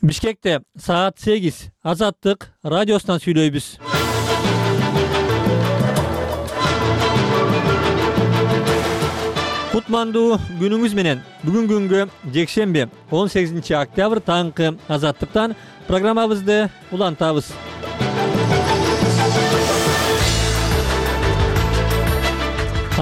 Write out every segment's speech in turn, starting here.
Бишкекте саат 8 Азаттык радиосунан сүйлөйбүз. Кутмандуу күнүңүз менен. Бүгүн күнгө жекшемби 18 октябрь таңкы Азаттыктан программабызды улантабыз.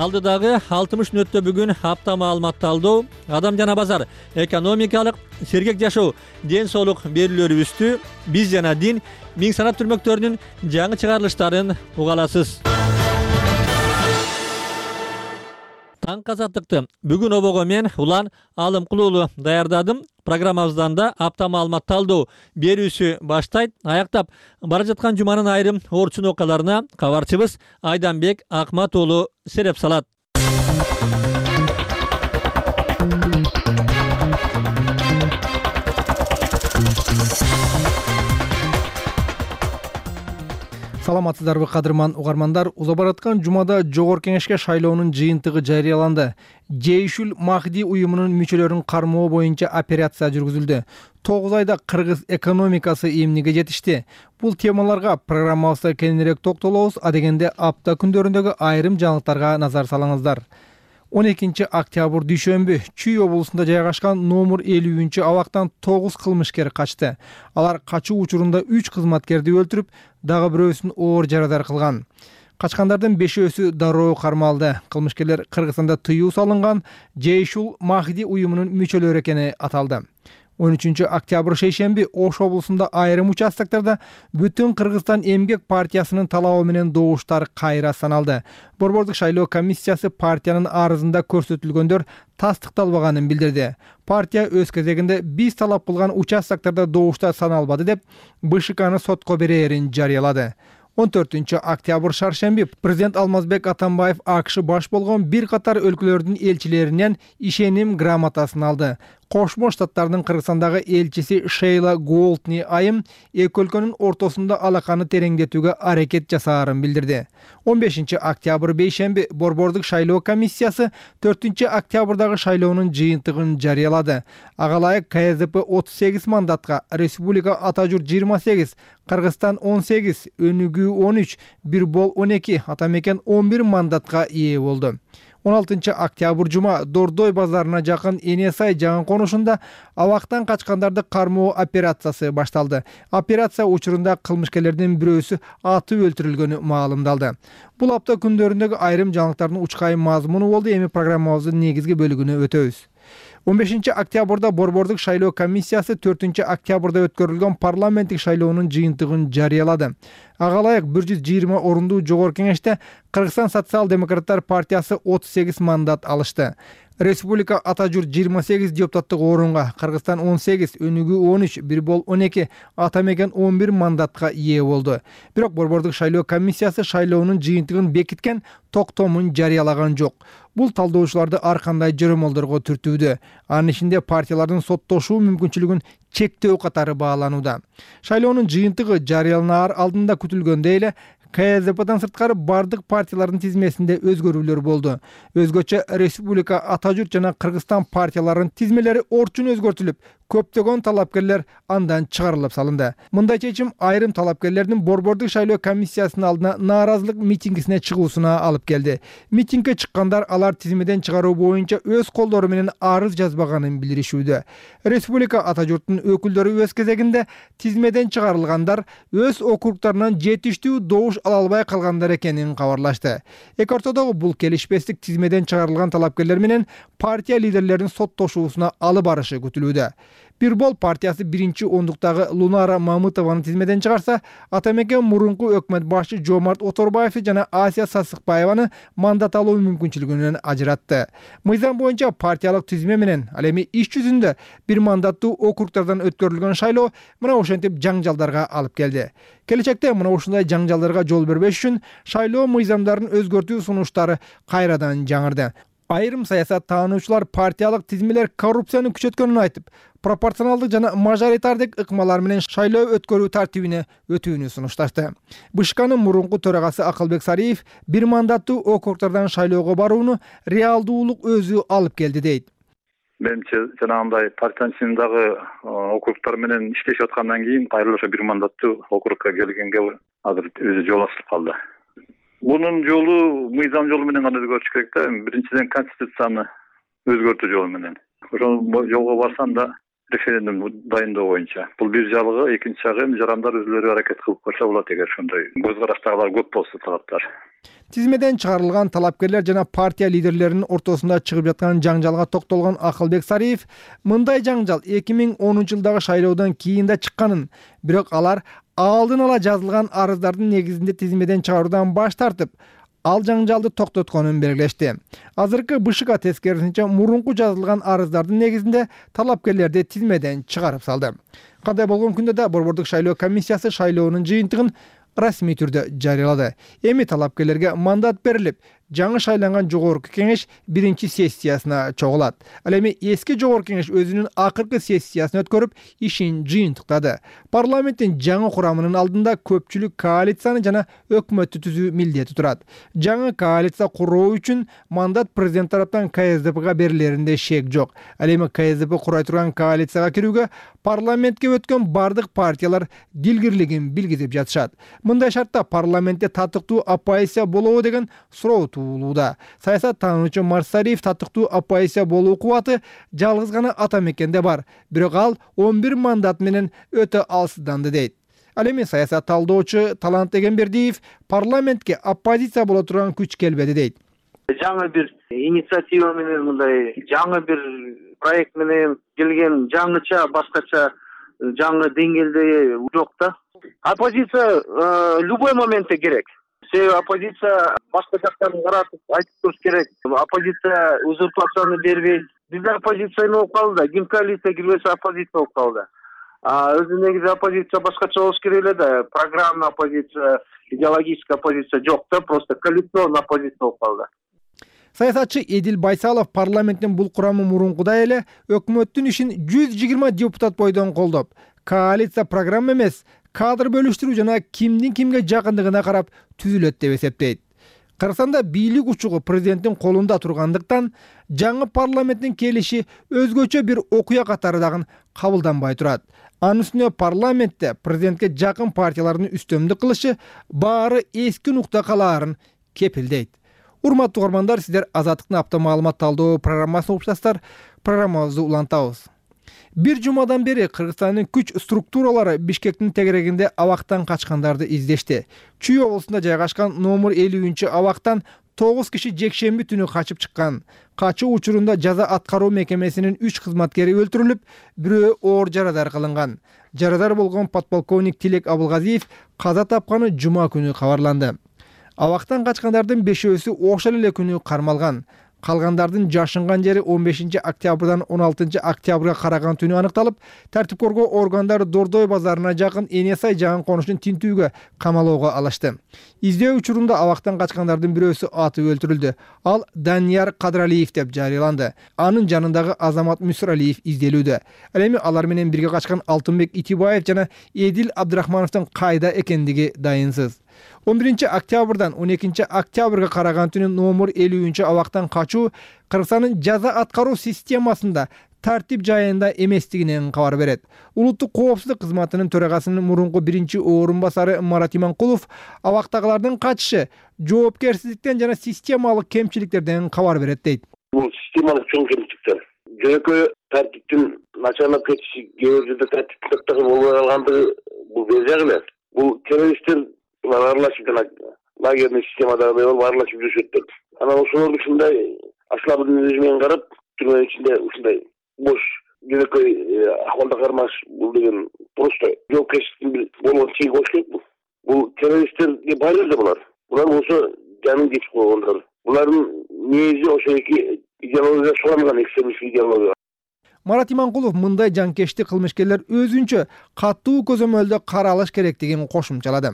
Алдыдагы 60 мүнөттө бүгүн апта маалыматталдоо, адам жана базар, экономикалык, сергек жашоо, ден соолук берүүлөрүбүздү биз жана дин миң санат түрмөктөрүнүн жаңы чыгарылыштарын уга аласыз. Таңкы Азаттыкты бүгүн обого мен Улан Алымкулуулу даярдадым. Программабыздан да апта маалыматталдоо берүүсү баштайт. Аяктап бара жаткан жуманын айрым орчун окуяларына кабарчыбыз Айданбек Акмат уулу сереп салат. Саламатсыздарбы кадырман угармандар? Уза бараткан жумада Жогорку Кеңешке шайлоонун жыйынтыгы жарыяланды. Жейшул Махди уюмунун мүчөлөрүн кармоо боюнча операция жүргүзүлдү. 9 айда кыргыз экономикасы эмнеге жетишти? Бул темаларга программабызда кеңирээк токтолобуз. Адегенде апта күндөрүндөгү айрым жаңылыктарга назар салыңыздар. 12 октябрь дүйшөмбү Чүй облусунда жайгашкан номер 50 абактан 9 кылмышкер качты. Алар качуу учурунда 3 кызматкерди өлтүрүп, дагы бирөөсүн оор жарадар кылган. Качкандардын 5-өсү дароо кармалды. Кылмышкерлер Кыргызстанда тыюу салынган Жейшул Махди уюмунун мүчөлөрү экени аталды. 13 октябрь шейшемби Ош облусунда айрым участоктарда Бүтүн Кыргызстан эмгек партиясынын талабы менен добуштар кайра саналды. Борбордук шайлоо комиссиясы партиянын арызында көрсөтүлгөндөр тастыкталбаганын билдирди. Партия өз кезегинде биз талап кылган участоктарда добуштар саналбады деп БШКны сотко берээрин жарыялады. 14 октябрь шаршемби президент Алмазбек Атамбаев АКШ баш болгон бир катар өлкөлөрдүн элчилеринен ишеним грамотасын алды. Кошмо Штаттардын Кыргызстандагы элчиси Шейла Голтни айым эки өлкөнүн ортосунда алаканы тереңдетүүгө аракет жасаарын билдирди. 15 октябрь бейшемби Борбордук шайлоо комиссиясы 4 октябрдагы шайлоонун жыйынтыгын жарыялады. Ага ылайык КСДП 38 мандатка, Республика Ата журт 28, Кыргызстан 18, Өнүгүү 13, Бирбол 12, Атамекен 11 мандатка ээ болду. 16 октябрь жума Дордой базарына жакын Энесай жаңы конушунда абактан качкандарды кармоо операциясы башталды. Операция учурунда кылмышкерлердин бирөөсү атып өлтүрүлгөнү маалымдалды. Бул апта күндөрүндөгү айрым жаңылыктардын учкайым мазмуну болду. Эми программабыздын негизги бөлүгүнө өтөбүз. 15 октябрда Борбордук шайлоо комиссиясы 4 октябрда өткөрүлгөн парламенттик шайлоонун жыйынтыгын жарыялады. Ага ылайык 120 орундуу Жогорку Кеңеште Кыргызстан социал-демократтар партиясы 38 мандат алышты. Республика Ата журт 28 депутаттык орунга, Кыргызстан 18, Өнүгүү 13, Бирбол 12, Атамекен 11 мандатка ээ болду. Бирок Борбордук шайлоо комиссиясы шайлоонун жыйынтыгын бекиткен токтомун жарыялаган жок. Бул талдоочуларды ар кандай жөрөмөлдөргө түртүүдө. Анын ичинде партиялардын соттошуу мүмкүнчүлүгүн чектөө катары бааланууда. Шайлоонун жыйынтыгы жарыяланаар алдында күтүлгөндөй эле КСДПдан сырткары бардык партиялардын тизмесинде өзгөрүүлөр болду. Өзгөчө Республика Ата журт жана Кыргызстан партияларынын тизмелери орчун өзгөртүлүп, көптөгөн талапкерлер андан чыгарылып салынды. Мындай чечим айрым талапкерлердин Борбордук шайлоо комиссиясынын алдына нааразылык митингисине чыгуусуна алып келди. Митингге чыккандар алар тизмеден чыгаруу боюнча өз колдору менен арыз жазбаганын билдиришүүдө. Республика Ата журттун өкүлдөрү өз кезегинде тизмеден чыгарылгандар өз округтарынан жетиштүү добуш ала албай калгандар экенин кабарлашты. Эки ортодогу бул келишпестик тизмеден чыгарылган талапкерлер менен партия лидерлеринин соттошуусуна алып барышы күтүлүүдө. Бирбол партиясы 1-ондуктагы Лунара Мамытованы тизмеден чыгарса, Атамекен мурунку өкмөт башы Жомарт Оторбаевди жана Асия Сасыкбаеваны мандат алуу мүмкүнчүлүгүнөн ажыратты. Мыйзам боюнча партиялык тизме менен ал эми иш жүзүндө бир мандаттуу округтардан өткөрүлгөн шайлоо мына ошентип жаңжалдарга алып келди. Келечекте мына ушундай жаңжалдарга жол бербеш үчүн шайлоо мыйзамдарын өзгөртүү сунуштары кайрадан жаңырды. Айрым саясат таануучулар партиялык тизмелер коррупцияны күчөткөнүн айтып, пропорционалдык жана мажоритардык ыкмалар менен шайлоо өткөрүү тартибине өтүүнү сунушташты. БШКнын мурунку төрагасы Акылбек Сариев бир мандаттуу округтардан шайлоого барууну реалдуулук өзү алып келди дейт. Менимче жанагындай партиянын ичиндагы округтар менен иштешип аткандан кийин кайра ошо бир мандаттуу округка келгенге азыр өзү жол ачылып калды. Бунун жолу мыйзам жолу менен гана өзгөртүш керек да. Биринчиден конституцияны өзгөртүү жолу менен. Ошол жолго барсам да референдум дайындоо боюнча. Бул бир жагы, экинчи жагы жарандар өзүлөрү аракет кылып караса болот эгер ошондой көз караштагылар көп болсо талаптар. Тизмеден чыгарылган талапкерлер жана партия лидерлеринин ортосунда чыгып жаткан жаңжалга токтолгон Акылбек Сариев мындай жаңжал 2010-жылдагы шайлоодон кийин да чыкканын, бирок алар алдын ала жазылган арыздардын негизинде тизмеден чыгаруудан баш тартып, ал жаңжалды токтотконун белгилешти. Азыркы БШК тескерисинче мурунку жазылган арыздардын негизинде талапкерлерди тизмеден чыгарып салды. Кандай болгон күндө да Борбордук шайлоо комиссиясы шайлоонун жыйынтыгын расмий түрдө жарыялады. Эми талапкерлерге мандат берилип, жаңы шайланган жогорку кеңеш биринчи сессиясына чогулат. Ал эми эски жогорку кеңеш өзүнүн акыркы сессиясын өткөрүп, ишин жыйынтыктады. Парламенттин жаңы курамынын алдында көпчүлүк коалицияны жана өкмөттү түзүү милдети турат. Жаңы коалиция куруу үчүн мандат президент тараптан КСДПга берилеринде шек жок. Ал эми КСДП курай турган коалицияга кирүүгө парламентке өткөн бардык партиялар дилгирлигин билгизип жатышат. Мындай шартта парламентте татыктуу оппозиция болобу деген суроо туулууда. Саясаттануучу Марсариев татыктуу оппозиция болуу кубаты жалгыз гана ата мекенде бар, бирок ал 11 мандат менен өтө алсызданды дейт. Ал эми саясат талдоочу Талант Эгембердиев парламентке оппозиция боло турган күч келбеди дейт. Жаңы бир инициатива менен, мындай жаңы бир проект менен келген жаңыча, башкача жаңы деңгээлде жок да. Оппозиция любой моментте керек. Себеби оппозиция башка жактан каратып айтып туруш керек. Оппозиция узурпацияны бербейт. Бизде оппозиция болуп калды. Ким коалиция кирбесе оппозиция болуп калды. Өзү негизи оппозиция башкача болуш керек эле да. Программа оппозиция, идеологическая оппозиция жок да, просто коалиционный оппозиция болуп калды. Саясатчы Эдил Байсалов парламенттин бул курамы мурункудай эле өкмөттүн ишин 120 депутат бойдон колдоп, коалиция программа эмес, кадр бөлүштүрүү жана кимдин кимге жакындыгына карап түзүлөт деп эсептейт. Кыргызстанда бийлик учугу президенттин колунда тургандыктан жаңы парламенттин келиши өзгөчө бир окуя катары дагы кабылданбай турат. Анын үстүнө парламентте президентке жакын партиялардын үстөмдүк кылышы баары эски нукта калаарын кепилдейт. Урматтуу угармандар, сиздер Азаттыктын апта маалымат талдоо программасын угуп жатасыздар. Программабызды улантабыз. Бир жумадан бери Кыргызстандын күч структуралары Бишкектин тегерегинде абактан качкандарды издешти. Чүй облусунда жайгашкан номер 50-абактан 9 киши жекшемби түнү качып чыккан. Качуу учурунда жаза аткаруу мекемесинин 3 кызматкери өлтүрүлүп, бирөө оор жарадар кылынган. Жарадар болгон подполковник Тилек Абылгазиев каза тапканы жума күнү кабарланды. Абактан качкандардын 5-өсү ошол эле күнү кармалган. Калгандардын жашынган жери 15 октябрдан 16 октябрга караган түнү аныкталып, тартип коргоо органдары Дордой базарына жакын Энесай жагын конушун тинтүүгө камалоого алышты. Издөө учурунда абактан качкандардын бирөөсү атып өлтүрүлдү. Ал Данияр Кадралиев деп жарыяланды. Анын жанындагы Азамат Мүсүралиев изделүүдө. Ал эми алар менен бирге качкан Алтынбек Итибаев жана Эдил Абдрахмановдун кайда экендиги дайынсыз. 11 октябрдан 12 октябрга караган түнү номер 50-абактан качуу Кыргызстандын жаза аткаруу системасында тартип жайында эместигинен кабар берет. Улуттук коопсуздук кызматынын төрагасынын мурунку биринчи орун басары Марат Иманкулов абактагылардын качышы жоопкерсиздиктен жана системалык кемчиликтерден кабар берет дейт. Бул системалык чоң кемчиликтер. Жөнөкөй тартиптин начарлап кетиши, кээ бир жерде тартип сактагы болбой калгандыгы бул бежак эле. Бул террористтер аралашып жана лагерный системада аралашып жүрүшөт. Анан ошолордун ушундай аслабын өзүнөн карап, түрмөнүн ичинде ушундай бош жөнөкөй акыбалда кармаш бул деген просто жоопкерчиликтин болгон чеги болуш керек. Бул террористтерге баары эле булар. Булар болсо жанын кечип койгондор. Булардын негизи ошо эки идеология суланган экстремистик идеология. Марат Иманкулов мындай жанкечти кылмышкерлер өзүнчө катуу көзөмөлдө каралыш керектигин кошумчалады.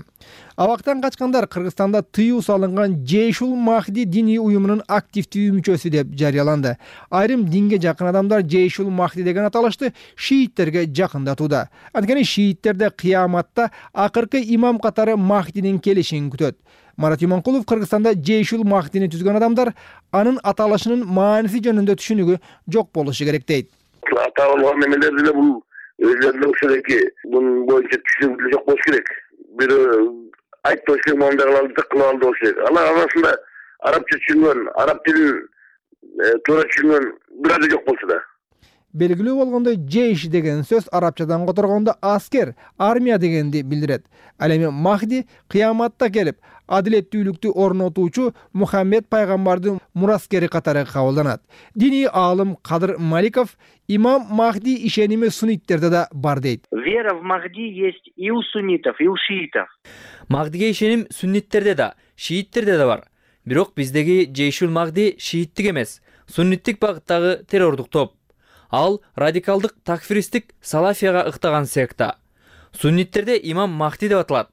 Абактан качкандар Кыргызстанда тыюу салынган Жейшул Махди диний уюмунун активдүү мүчөсү деп жарыяланды. Айрым динге жакын адамдар Жейшул Махди деген аталышты шииттерге жакындатууда. Анткени шииттерде кыяматта акыркы имам катары Махдинин келишин күтөт. Марат Иманкулов Кыргызстанда Жейшул Махдини түзгөн адамдар анын аталышынын мааниси жөнүндө түшүнүгү жок болушу керек дейт. Аталган немелер деле бул өзлөрүнүн ушундайки бунун боюнча түшүнүгү жок болуш керек. Бир айтты болуш керек, мондайларды кылып алды болуш керек. Алар арасында арабча түшүнгөн, араб тилин туура түшүнгөн бир жок болсо да. Белгилүү болгондой, жейш деген сөз арабчадан которгондо аскер, армия дегенди билдирет. Ал эми Махди кыяматта келип, адилеттүүлүктү орнотуучу Мухаммед пайгамбардын мураскери катары кабылданат. Диний аалым Кадыр Маликов имам Махди ишеними сунниттерде да бар дейт. Вера в Махди есть и у суннитов, и у шиитов. Махдиге ишеним сунниттерде да, шииттерде да бар. Бирок биздеги Жейшул Махди шииттик эмес, сунниттик багыттагы террордук топ. Ал радикалдык такфиристик салафияга ыктаган секта. Сунниттерде имам Махди деп аталат.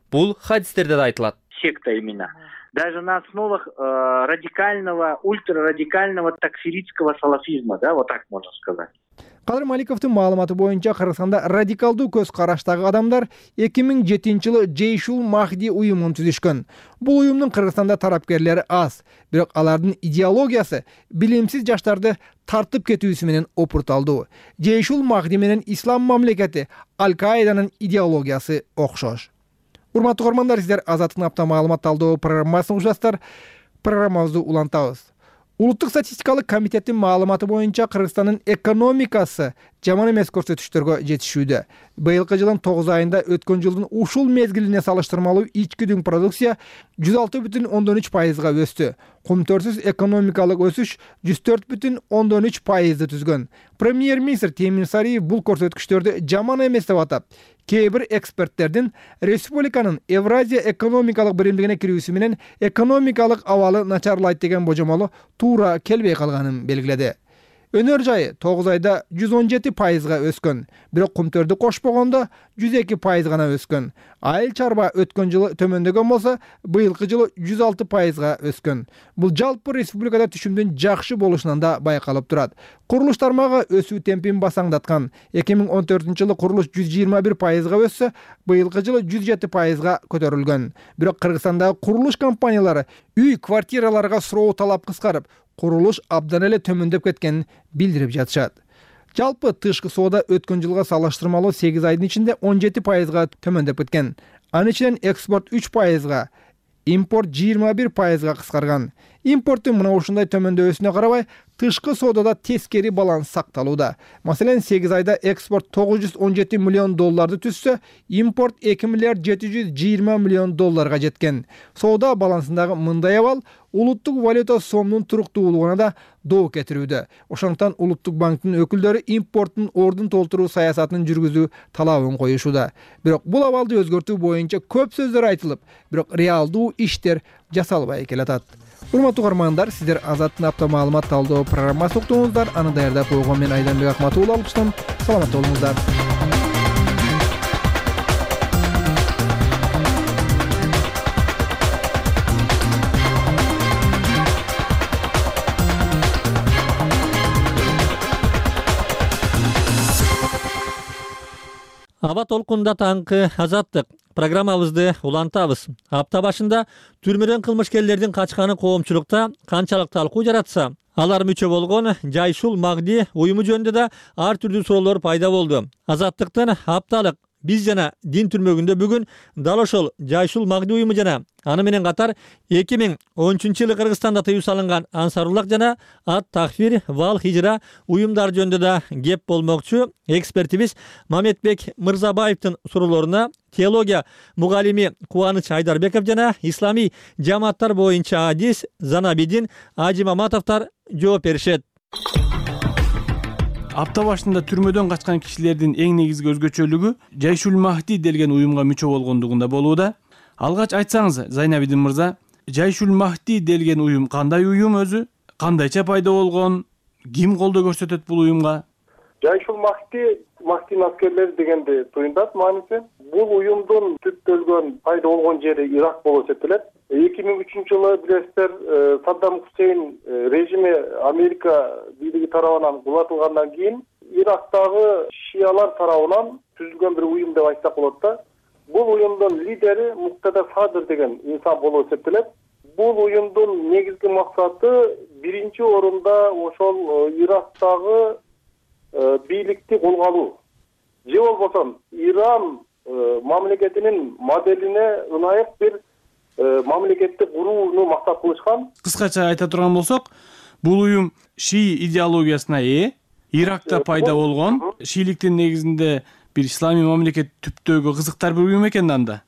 Бул хадистерде да айтылат. Секта именно. Даже на основах радикального, ультрарадикального такфиритского салафизма, да, вот так можно сказать. Кадыр Маликовдун маалыматы боюнча Кыргызстанда радикалдуу көз караштагы адамдар 2007-жылы Жейшул Махди уюмун түзүшкөн. Бул уюмдун Кыргызстанда тарапкерлери аз, бирок алардын идеологиясы билимсиз жаштарды тартып кетүүсү менен опурталдуу. Жейшул Махди менен ислам мамлекети Аль-Каиданын идеологиясы окшош. Урматтуу көрөрмандар, сиздер Азаттык апта маалымат талдоо программасын угушасыздар. Программабызды улантабыз. Улуттук статистикалык комитеттин маалыматы боюнча Кыргызстандын экономикасы жаман эмес көрсөтүштөргө жетишүүдө. Быйылкы жылдын 9 айында өткөн жылдын ушул мезгилине салыштырмалуу ички дүң продукция 106,3%га өстү. Кумтөрсүз экономикалык өсүш 104,3%ды түзгөн. Премьер-министр Темир Сариев бул көрсөткүчтөрдү жаман эмес деп атап, кээ бир эксперттердин республиканын Евразия экономикалык биримдигине кирүүсү менен экономикалык абалы начарлайт деген божомолу туура келбей калганын белгиледи. Өнөр жайы 9 айда 117%га өскөн, бирок кумтөрдү кошпогондо 102% гана өскөн. Айыл чарба өткөн жылы төмөндөгөн болсо, быйылкы жылы 106%га өскөн. Бул жалпы республикада түшүмдүн жакшы болушунан да байкалып турат. Курулуш тармагы өсүү темпин басаңдаткан. 2014-жылы курулуш 121%га өссө, быйылкы жылы 107%га көтөрүлгөн. Бирок Кыргызстандагы курулуш компаниялары үй квартираларга суроо талап кыскарып, курулуш абдан эле төмөндөп кеткенин билдирип жатышат. Жалпы тышкы соода өткөн жылга салыштырмалуу 8 айдын ичинде 17%га төмөндөп кеткен. Анын ичинен экспорт 3%га, импорт 21%га кыскарган. Импорттун мына ушундай төмөндөбөсүнө карабай, тышкы соодада тескери баланс сакталууда. Маселен, 8 айда экспорт $917 миллион түзсө, импорт $2,720 миллион жеткен. Соода балансындагы мындай абал улуттук валюта сомдун туруктуулугуна да доо кетирүүдө. Ошондуктан улуттук банктын өкүлдөрү импорттун ордун толтуруу саясатын жүргүзүү талабын коюшууда. Бирок бул абалды өзгөртүү боюнча көп сөздөр айтылып, бирок реалдуу иштер жасалбай келатат. Урматтуу көрөрмандар, сиздер Азаттык апта маалымат талдоо программасын уктуңуздар. Аны даярдап койгон мен Айданбек Акматов алып саламат болуңуздар. Аба толкунда таңкы Азаттык программабызды улантабыз. Апта башында түрмөдөн кылмышкерлердин качканы коомчулукта канчалык талкуу жаратса, алар мүчө болгон Жейшул Махди уюму жөнүндө да ар түрдүү суроолор пайда болду. Азаттыктын апталык биз жана дин түрмөгүндө бүгүн дал ошол Жейшул Махди уюму жана аны менен катар 2013-жылы Кыргызстанда тыюу салынган Ансаруллах жана Ат-Такфир вал хижра уюмдар жөнүндө да кеп болмокчу. Экспертибиз Маметбек Мырзабаевдин суроолоруна теология мугалими Кубаныч Айдарбеков жана исламий жамааттар боюнча адис Занабидин Ажимаматовдор жооп беришет. Апта башында түрмөдөн качкан кишилердин эң негизги өзгөчөлүгү Жейшул Махди делген уюмга мүчө болгондугунда болууда. Алгач айтсаңыз, Зайнабидин мырза, Жейшул Махди делген уюм кандай уюм өзү? Кандайча пайда болгон? Ким колдоо көрсөтөт бул уюмга? Жайшул Махдинин аскерлери дегенди туюндат мааниси. Бул уюмдун түптөлгөн пайда болгон жери Ирак болуп эсептелет. 2003-жылы билесиздер Саддам Хусейн режими Америка бийлиги тарабынан кулатылгандан кийин Ирактагы шиялар тарабынан түзүлгөн бир уюм деп айтсак болот да. Бул уюмдун лидери Муктада Садыр деген инсан болуп эсептелет. Бул уюмдун негизги максаты биринчи орунда ошол Ирактагы бийликти колго алуу. Же болбосо Иран мамлекетинин моделине ылайык бир мамлекетти курууну максат кылышкан. Кыскача айта турган болсок, бул уюм шии идеологиясына ээ, Иракта пайда болгон, шийликтин негизинде бир исламий мамлекет түптөгү кызыктар бир уюм экен анда.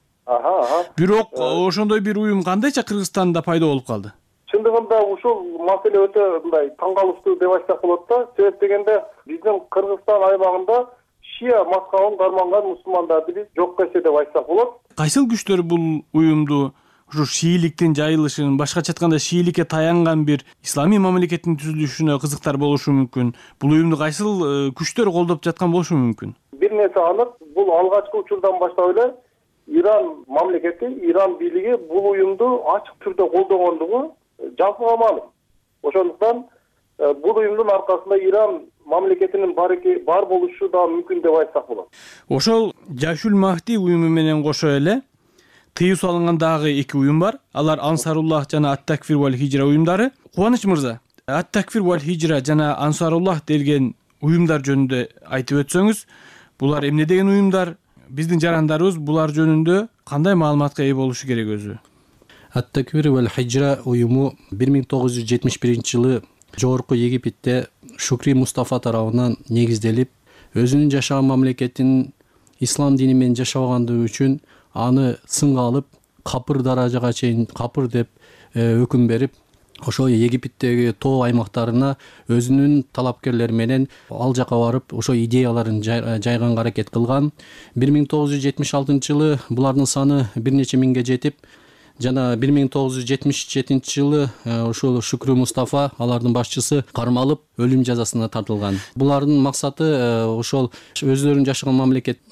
Бирок ошондой бир уюм кандайча Кыргызстанда пайда болуп калды? Чындыгында ушул маселе өтө мындай таң калыштуу деп айтсак болот да. Себеп дегенде биздин Кыргызстан аймагында шия мазхабын карманган мусулмандарды биз жок эсе деп айтсак болот. Кайсыл күчтөр бул уюмду ушу шийликтин жайылышын, башкача айтканда шийликке таянган бир исламий мамлекеттин түзүлүшүнө кызыктар болушу мүмкүн? Бул уюмду кайсыл күчтөр колдоп жаткан болушу мүмкүн? Бир нерсе анык, бул алгачкы учурдан баштап эле Иран мамлекети, Иран бийлиги бул уюмду ачык түрдө колдогондугу жалпыга маалым. Ошондуктан бул уюмдун аркасында Иран мамлекетинин бар болушу да мүмкүн деп айтсак болот. Ошол Жайшул Махди уюму менен кошо эле тыюу салынган дагы эки уюм бар. Алар Ансаруллах жана Ат-Такфир валь Хижра уюмдары. Кубаныч мырза, Ат-Такфир валь Хижра жана Ансаруллах делген уюмдар жөнүндө айтып өтсөңүз, булар эмне деген уюмдар? Биздин жарандарыбыз булар жөнүндө кандай маалыматка ээ болушу керек өзү? Ат-Такфир валь Хижра уюму 1971-жылы Жогорку Египетте Шукри Мустафа тарабынан негизделип, өзүнүн жашаган мамлекетин ислам дини менен жашабагандыгы үчүн аны сынга алып, капыр даражага чейин капыр деп өкүм берип, ошол Египеттеги тоо аймактарына өзүнүн талапкерлери менен ал жака барып, ошо идеяларын жайганга аракет кылган. 1976-жылы булардын саны бир нече миңге жетип, жана 1977-жылы ошол Шукри Мустафа, алардын башчысы, кармалып өлүм жазасына тартылган. Булардын максаты ошол өздөрүнүн жашаган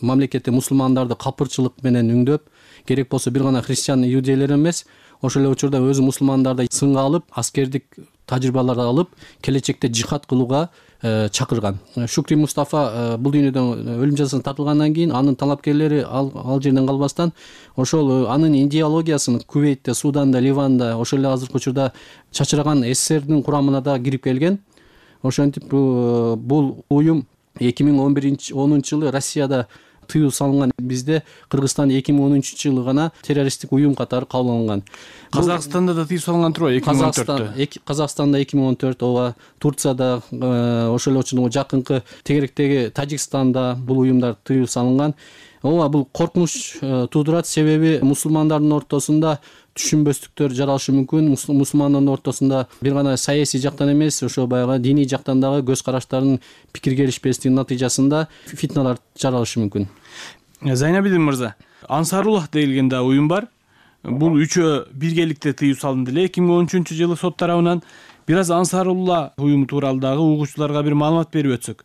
мамлекетте мусулмандарды капырчылык менен үңдөп, керек болсо бир гана христиан иудейлер эмес, ошол эле учурда өзү мусулмандарды сынга алып, аскердик тажрыйбаларды алып, келечекте жихад кылууга чакырган. Шукри Мустафа бул дүйнөдөн өлүм жазасына тартылгандан кийин анын талапкерлери ал жерден калбастан ошол анын идеологиясын Кувейтте, Суданда, Ливанда, ошол эле азыркы учурда чачыраган СССРдин курамына да кирип келген. Ошентип бул уюм 2010-жылы Россияда тыюу салынган. Бизде Кыргызстан 2013-жылы гана террористтик уюм катары кабыл алынган. Казакстанда да тыюу салынган турбайбы 2014-тө? Казакстанда 2014, ооба, Турцияда, ошол эле учурда жакынкы тегеректеги Тажикстанда бул уюмдар тыюу салынган. Ооба, бул коркунуч туудурат, себеби мусулмандардын ортосунда түшүнбөстүктөр жаралышы мүмкүн. Мусулмандардын ортосунда бир гана саясий жактан эмес, ошо баягы диний жактан дагы көз караштардын пикир келишпестигинин натыйжасында фитналар жаралышы мүмкүн. Зайнабидин мырза, Ансаруллах деген да уюм бар. Бул үчөө биргеликте тыюу салынды эле 2013-жылы сот тарабынан. Бир аз Ансаруллах уюму тууралуу дагы угуучуларга бир маалымат берип өтсөк.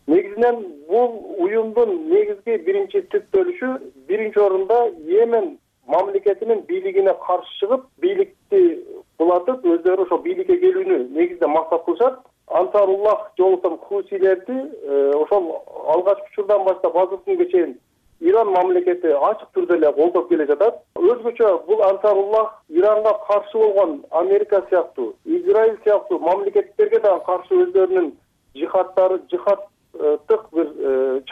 Негизинен бул уюмдун негизги биринчи түптөлүшү биринчи орунда Йемен мамлекетинин бийлигине каршы чыгып, бийликти кулатып, өздөрү ошо бийликке келүүнү негизде максат кылышат. Ансаруллах же болбосо хусилерди ошол алгачкы учурдан баштап азыркы күнгө чейин Иран мамлекети ачык түрдө эле колдоп келе жатат. Өзгөчө бул Ансаруллах Иранга каршы болгон Америка сыяктуу, Израиль сыяктуу мамлекеттерге да каршы өздөрүнүн жихадтык бир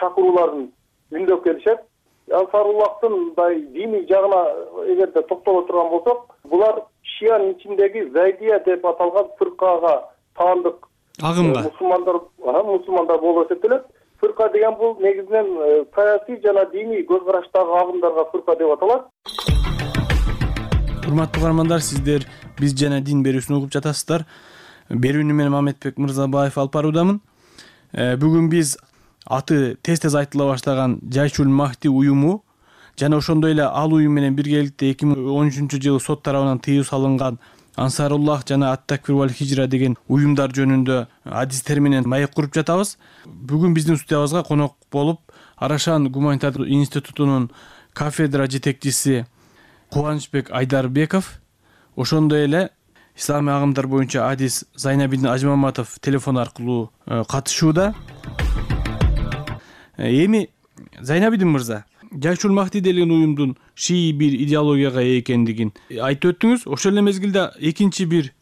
чакырууларын үндөп келишет. Ансаруллахтын мындай диний жагына эгерде токтоло турган болсок, булар шиянын ичиндеги Зайдия деп аталган фыркага таандык агымга мусулмандар болуп эсептелет. Фырка деген бул негизинен саясий жана диний көз караштагы агымдарга фырка деп аталат. Урматтуу угармандар, сиздер биз жана дин берүүсүн угуп жатасыздар. Берүүнү мен Мамедбек Мырзабаев алып баруудамын. Бүгүн биз аты тез айтыла баштаган Жайшул Махди уюму жана ошондой эле ал уюм менен биргеликте 2013-жылы сот тарабынан тыюу салынган Ансаруллах жана Ат-Такфир валь Хижра деген уюмдар жөнүндө адистер менен маек куруп жатабыз. Бүгүн биздин студиябызга конок болуп Арашан гуманитардык институтунун кафедра жетекчиси Кубанычбек Айдарбеков, ошондой эле исламий агымдар боюнча адис Зайнабидин Ажмаматов телефон аркылуу катышууда. Эми Зайнабидин мырза, Жайшул Махди деген уюмдун шии бир идеологияга ээ экендигин айтып өттүңүз. Ошол эле мезгилде экинчи бир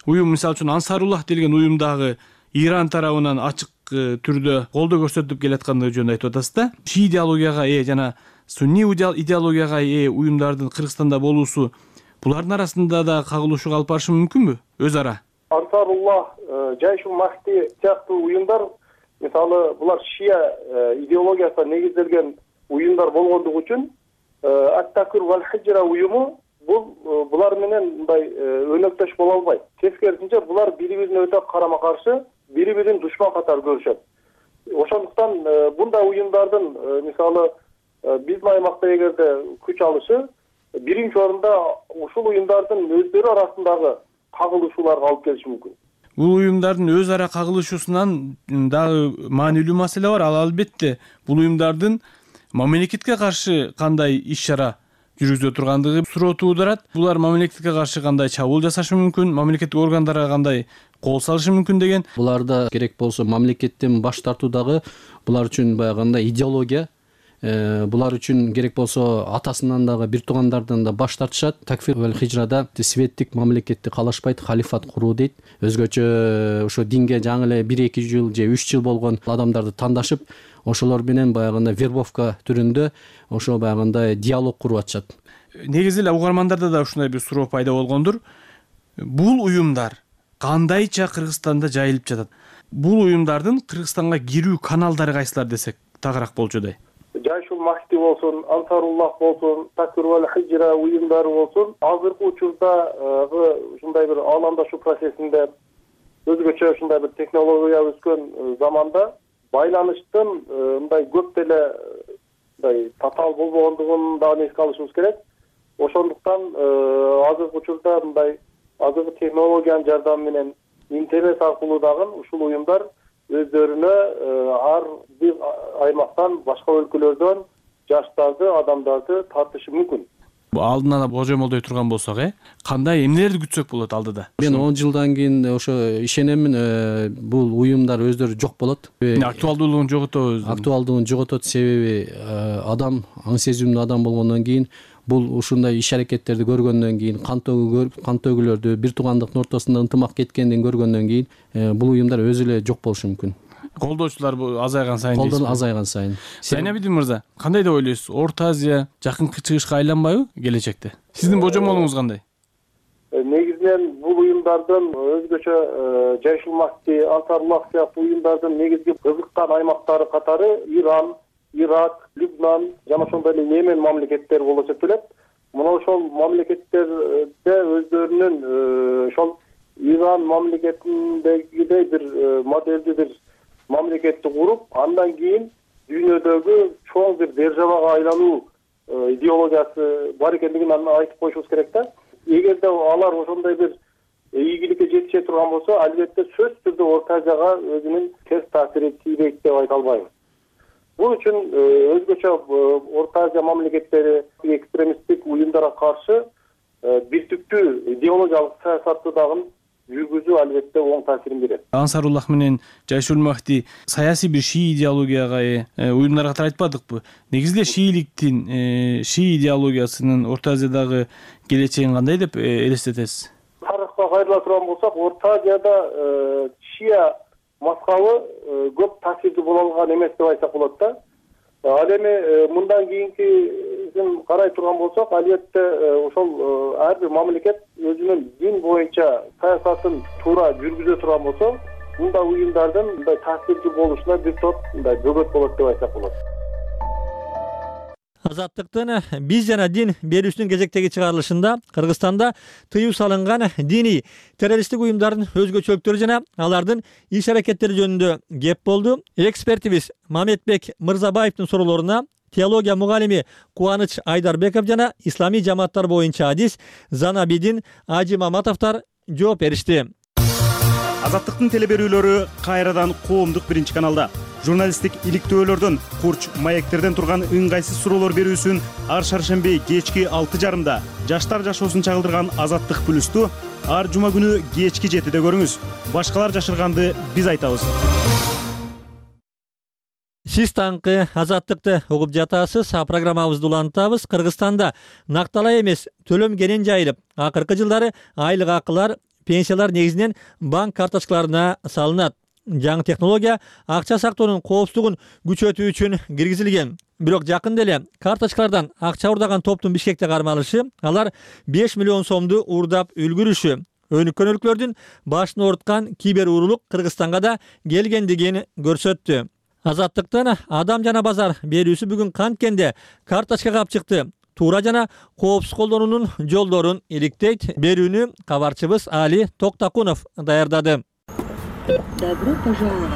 уюм, мисалы үчүн Ансаруллах деген уюм дагы Иран тарабынан ачык түрдө колдоо көрсөтүп келаткандыгы жөнүндө айтып атасыз да. Шии идеологияга ээ жана сунни идеологияга ээ уюмдардын Кыргызстанда болуусу булардын арасында да кагылышууга алып барышы мүмкүнбү өз ара? Ансаруллах, Жайшул Махди сыяктуу уюмдар, мисалы булар шия идеологиясына негизделген уюмдар болгондугу үчүн Ат-Такфир валь Хижра уюму булар менен мындай өнөктөш боло албайт. Тескерисинче булар бири-бирине өтө карама-каршы, бири-бирин душман катары көрүшөт. Ошондуктан бундай уюмдардын мисалы биздин аймакта эгерде күч алышы биринчи орунда ушул уюмдардын өздөрү арасындагы кагылышууларга алып келиши мүмкүн. Бул уюмдардын өз ара кагылышуусунан дагы маанилүү маселе бар. Ал албетте бул уюмдардын мамлекетке каршы кандай иш-чара жүргүзө тургандыгы суроо туудурат. Булар мамлекетке каршы кандай чабуул жасашы мүмкүн, мамлекеттик органдарга кандай кол салышы мүмкүн деген. Буларда керек болсо мамлекеттен баш тартуу дагы булар үчүн баягындай идеология. Булар үчүн керек болсо атасынан дагы бир туугандардан да баш тартышат. Такфир валь Хижрада светтик мамлекетти каалашпайт, халифат куруу дейт. Өзгөчө ошо динге жаңы эле 1-2 жыл же 3 жыл болгон адамдарды тандашып, ошолор менен баягындай вербовка түрүндө ошо баягындай диалог куруп атышат. Негизи эле угармандарда да ушундай бир суроо пайда болгондур. Бул уюмдар кандайча Кыргызстанда жайылып жатат? Бул уюмдардын Кыргызстанга кирүү каналдары кайсылар десек тагыраак болчудай. Жайшул Махди болсун, Ансаруллах болсун, Такфир валь Хижра уюмдары болсун, азыркы учурдагы ушундай бир ааламдашуу процессинде өзгөчө ушундай бир технология өскөн заманда байланыштын мындай көп деле мындай татаал болбогондугун дагы эске алышыбыз керек. Ошондуктан азыркы учурда мындай азыркы технологиянын жардамы менен интернет аркылуу дагы ушул уюмдар өздөрүнө ар бир аймактан, башка өлкөлөрдөн жаштарды, адамдарды тартышы мүмкүн. Алдын ала божомолдой турган болсок, кандай эмнелерди күтсөк болот алдыда? Мен 10 жылдан кийин ошо ишенемин, бул уюмдар өздөрү жок болот. Актуалдуулугун жоготобуз. Актуалдуулугун жоготот, себеби адам аң сезимдүү адам болгондон кийин бул ушундай иш-аракеттерди көргөндөн кийин, кан төгүүлөрдү, бир туугандыктын ортосунда ынтымак кеткендин көргөндөн кийин бул уюмдар өзү эле жок болушу мүмкүн. Колдоочулар азайган сайын. Колдоо азайган сайын. Зайнабидин мырза, кандай деп ойлойсуз? Орто Азия жакынкы чыгышка айланбайбы келечекте? Сиздин божомолуңуз кандай? Негизинен бул уюмдардын өзгөчө Жайшул Махди, Ансаруллах сыяктуу уюмдардын негизги кызыккан аймактары катары Иран, Ирак, Либнан жана ошондой эле Йемен мамлекеттери болуп эсептелет. Мына ошол мамлекеттерде өздөрүнүн ошол Иран мамлекетиндегидей бир модельди бир мамлекетти куруп, андан кийин дүйнөдөгү чоң бир державага айлануу идеологиясы бар экендигин айтып коюшубуз керек да. Эгерде алар ошондой бир ийгиликке жетише турган болсо, албетте сөзсүз түрдө Орто Азияга өзүнүн терс таасири тийбейт деп айта албайм. Бул үчүн өзгөчө Орто Азия мамлекеттери экстремисттик уюмдарга каршы биртиктүү идеологиялык саясатты дагы жүргүзүү албетте оң таасирин берет. Ансаруллах менен Жайшул Махди саясий бир шии идеологияга уюмдар катары айтпадыкпы? Негизи эле шииликтин, шии идеологиясынын Орто Азиядагы келечегин кандай деп элестетесиз? Тарыхка кайрыла турган болсок, Орто Азияда шия мазхабы көп таасирдүү боло алган эмес деп айтсак болот да. Ал эми мындан кийинкисин карай турган болсок, албетте ошол ар бир мамлекет өзүнүн дин боюнча саясатын туура жүргүзө турган болсо, мындай уюмдардын мындай таасирдүү болушуна бир топ мындай бөгөт болот деп айтсак болот. Азаттыктын биз жана дин берүүсүнүн кезектеги чыгарылышында Кыргызстанда тыюу салынган диний террористтик уюмдардын өзгөчөлүктөрү жана алардын иш-аракеттери жөнүндө кеп болду. Экспертибиз Мамедбек Мырзабаевдин суроолоруна теология мугалими Кубаныч Айдарбеков жана исламий жамааттар боюнча адис Занабидин Ажи Маматовдор жооп беришти. Азаттыктын телеберүүлөрү кайрадан коомдук биринчи каналда. Журналисттик иликтөөлөрдөн, курч маектерден турган ыңгайсыз суроолор берүүсүн ар шаршемби кечки 6:30 жаштар жашоосун чагылдырган Азаттык плюсту ар жума күнү кечки 7-де көрүңүз. Башкалар жашырганды биз айтабыз. Сиз таңкы Азаттыкты угуп жатасыз. Программабызды улантабыз. Кыргызстанда накталай эмес төлөм кенен жайылып, акыркы жылдары айлык акылар, пенсиялар негизинен банк карточкаларына салынат. Жаңы технология акча сактоонун коопсуздугун күчөтүү үчүн киргизилген. Бирок жакында эле карточкалардан акча уурдаган топтун Бишкекте кармалышы, алар 5 миллион сомду уурдап үлгүрүшү. Өнүккөн өлкөлөрдүн башын ооруткан кибер уурулук Кыргызстанга да келгендигин көрсөттү. Азаттыктын адам жана базар берүүсү бүгүн канткенде карточка кап чыкты. Туура жана коопсуз колдонуунун жолдорун иликтейт. Берүүнү кабарчыбыз Али Токтакунов даярдады. Добро пожаловать.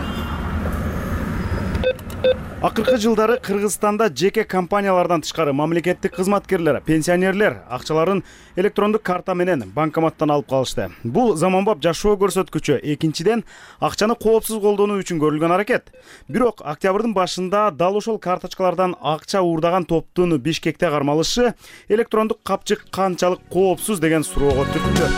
Акыркы жылдары Кыргызстанда жеке компаниялардан тышкары мамлекеттик кызматкерлер, пенсионерлер акчаларын электрондук карта менен банкоматтан алып калышты. Бул заманбап жашоо көрсөткүчү. Экинчиден, акчаны коопсуз колдонуу үчүн көрүлгөн аракет. Бирок октябрдын башында дал ошол карточкалардан акча уурдаган топтун Бишкекте кармалышы электрондук капчык канчалык коопсуз деген суроого түрттү.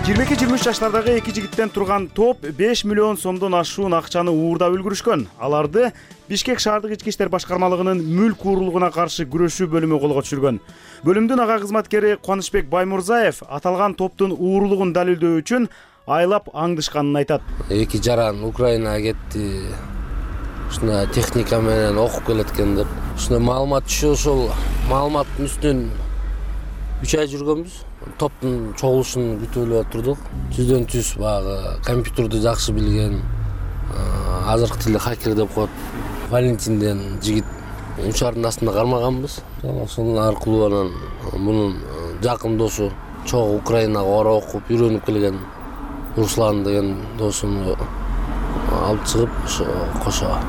22-23 жаштардагы эки жигиттен турган топ 5 миллион сомдон ашуун акчаны уурдап үлгүрүшкөн. Аларды Бишкек шаардык ички иштер башкармалыгынын мүлк уурулугуна каршы күрөшүү бөлүмү колго түшүргөн. Бөлүмдүн ага кызматкери Кубанычбек Баймурзаев аталган топтун уурулугун далилдөө үчүн айлап аңдышканын айтат. Эки жаран Украинага кетти. Ушуна техника менен окуп келеткен деп. Ушуна маалымат түшүп, ошол маалыматтын үстүнөн 3 ай жүргөнбүз. Топтун чогулушун күтүп эле отурдук. Түздөн түз баягы компьютерди жакшы билген, азыркы тилде хакер деп коет. Валентинден жигит учардын астында кармаганбыз. Ошонун аркылуу анан мунун жакын досу чогуу Украинага бара окуп үйрөнүп келген Руслан деген досумду алып чыгып, кошо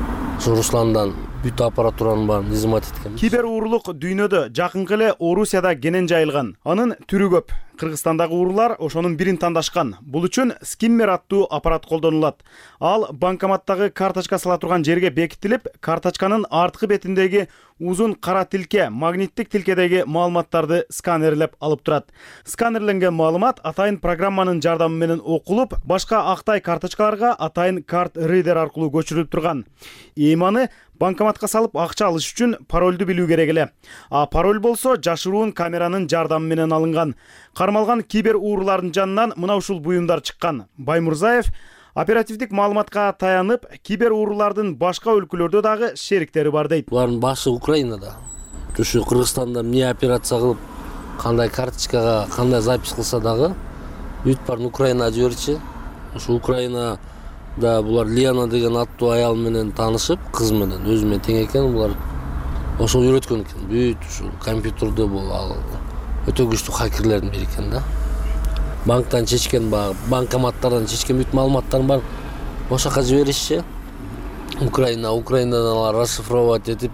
Русландан бүт аппаратуранын баарын изимат эткен. Кибер уурулук дүйнөдө жакынкы эле Орусияда кенен жайылган. Анын түрү көп. Кыргызстандагы уурулар ошонун бирин тандашкан. Бул үчүн скиммер аттуу аппарат колдонулат. Ал банкоматтагы карточка сала турган жерге бекитилип, карточканын арткы бетиндеги узун кара тилке, магниттик тилкедеги маалыматтарды сканерлеп алып турат. Сканерленген маалымат атайын программанын жардамы менен окулуп, башка актай карточкаларга атайын карт рейдер аркылуу көчүрүлүп турган. Эйманы банкоматка салып акча алыш үчүн паролду билүү керек эле. А пароль болсо жашыруун камеранын жардамы менен алынган. Кармалган кибер уурулардын жанынан мына ушул буюмдар чыккан. Баймурзаев оперативдик маалыматка таянып, кибер уурулардын башка өлкөлөрдө дагы шериктери бар дейт. Булардын башы Украинада. Ушу Кыргызстанда эмне операция кылып, кандай карточкага, кандай запись кылса дагы бүт баарын Украинага жиберчү. Ушу Украинада булар Лена деген аттуу аял менен таанышып, кыз менен өзү менен тең экен, булар ошол үйрөткөн экен. Бүт ушу компьютерде бул өтө күчтүү хакерлердин бири экен да. Банктан чечкен, банкоматтардан чечкен бүт маалыматтарын бар ошол жака жиберишчи. Украинадан алар расшифровать этип,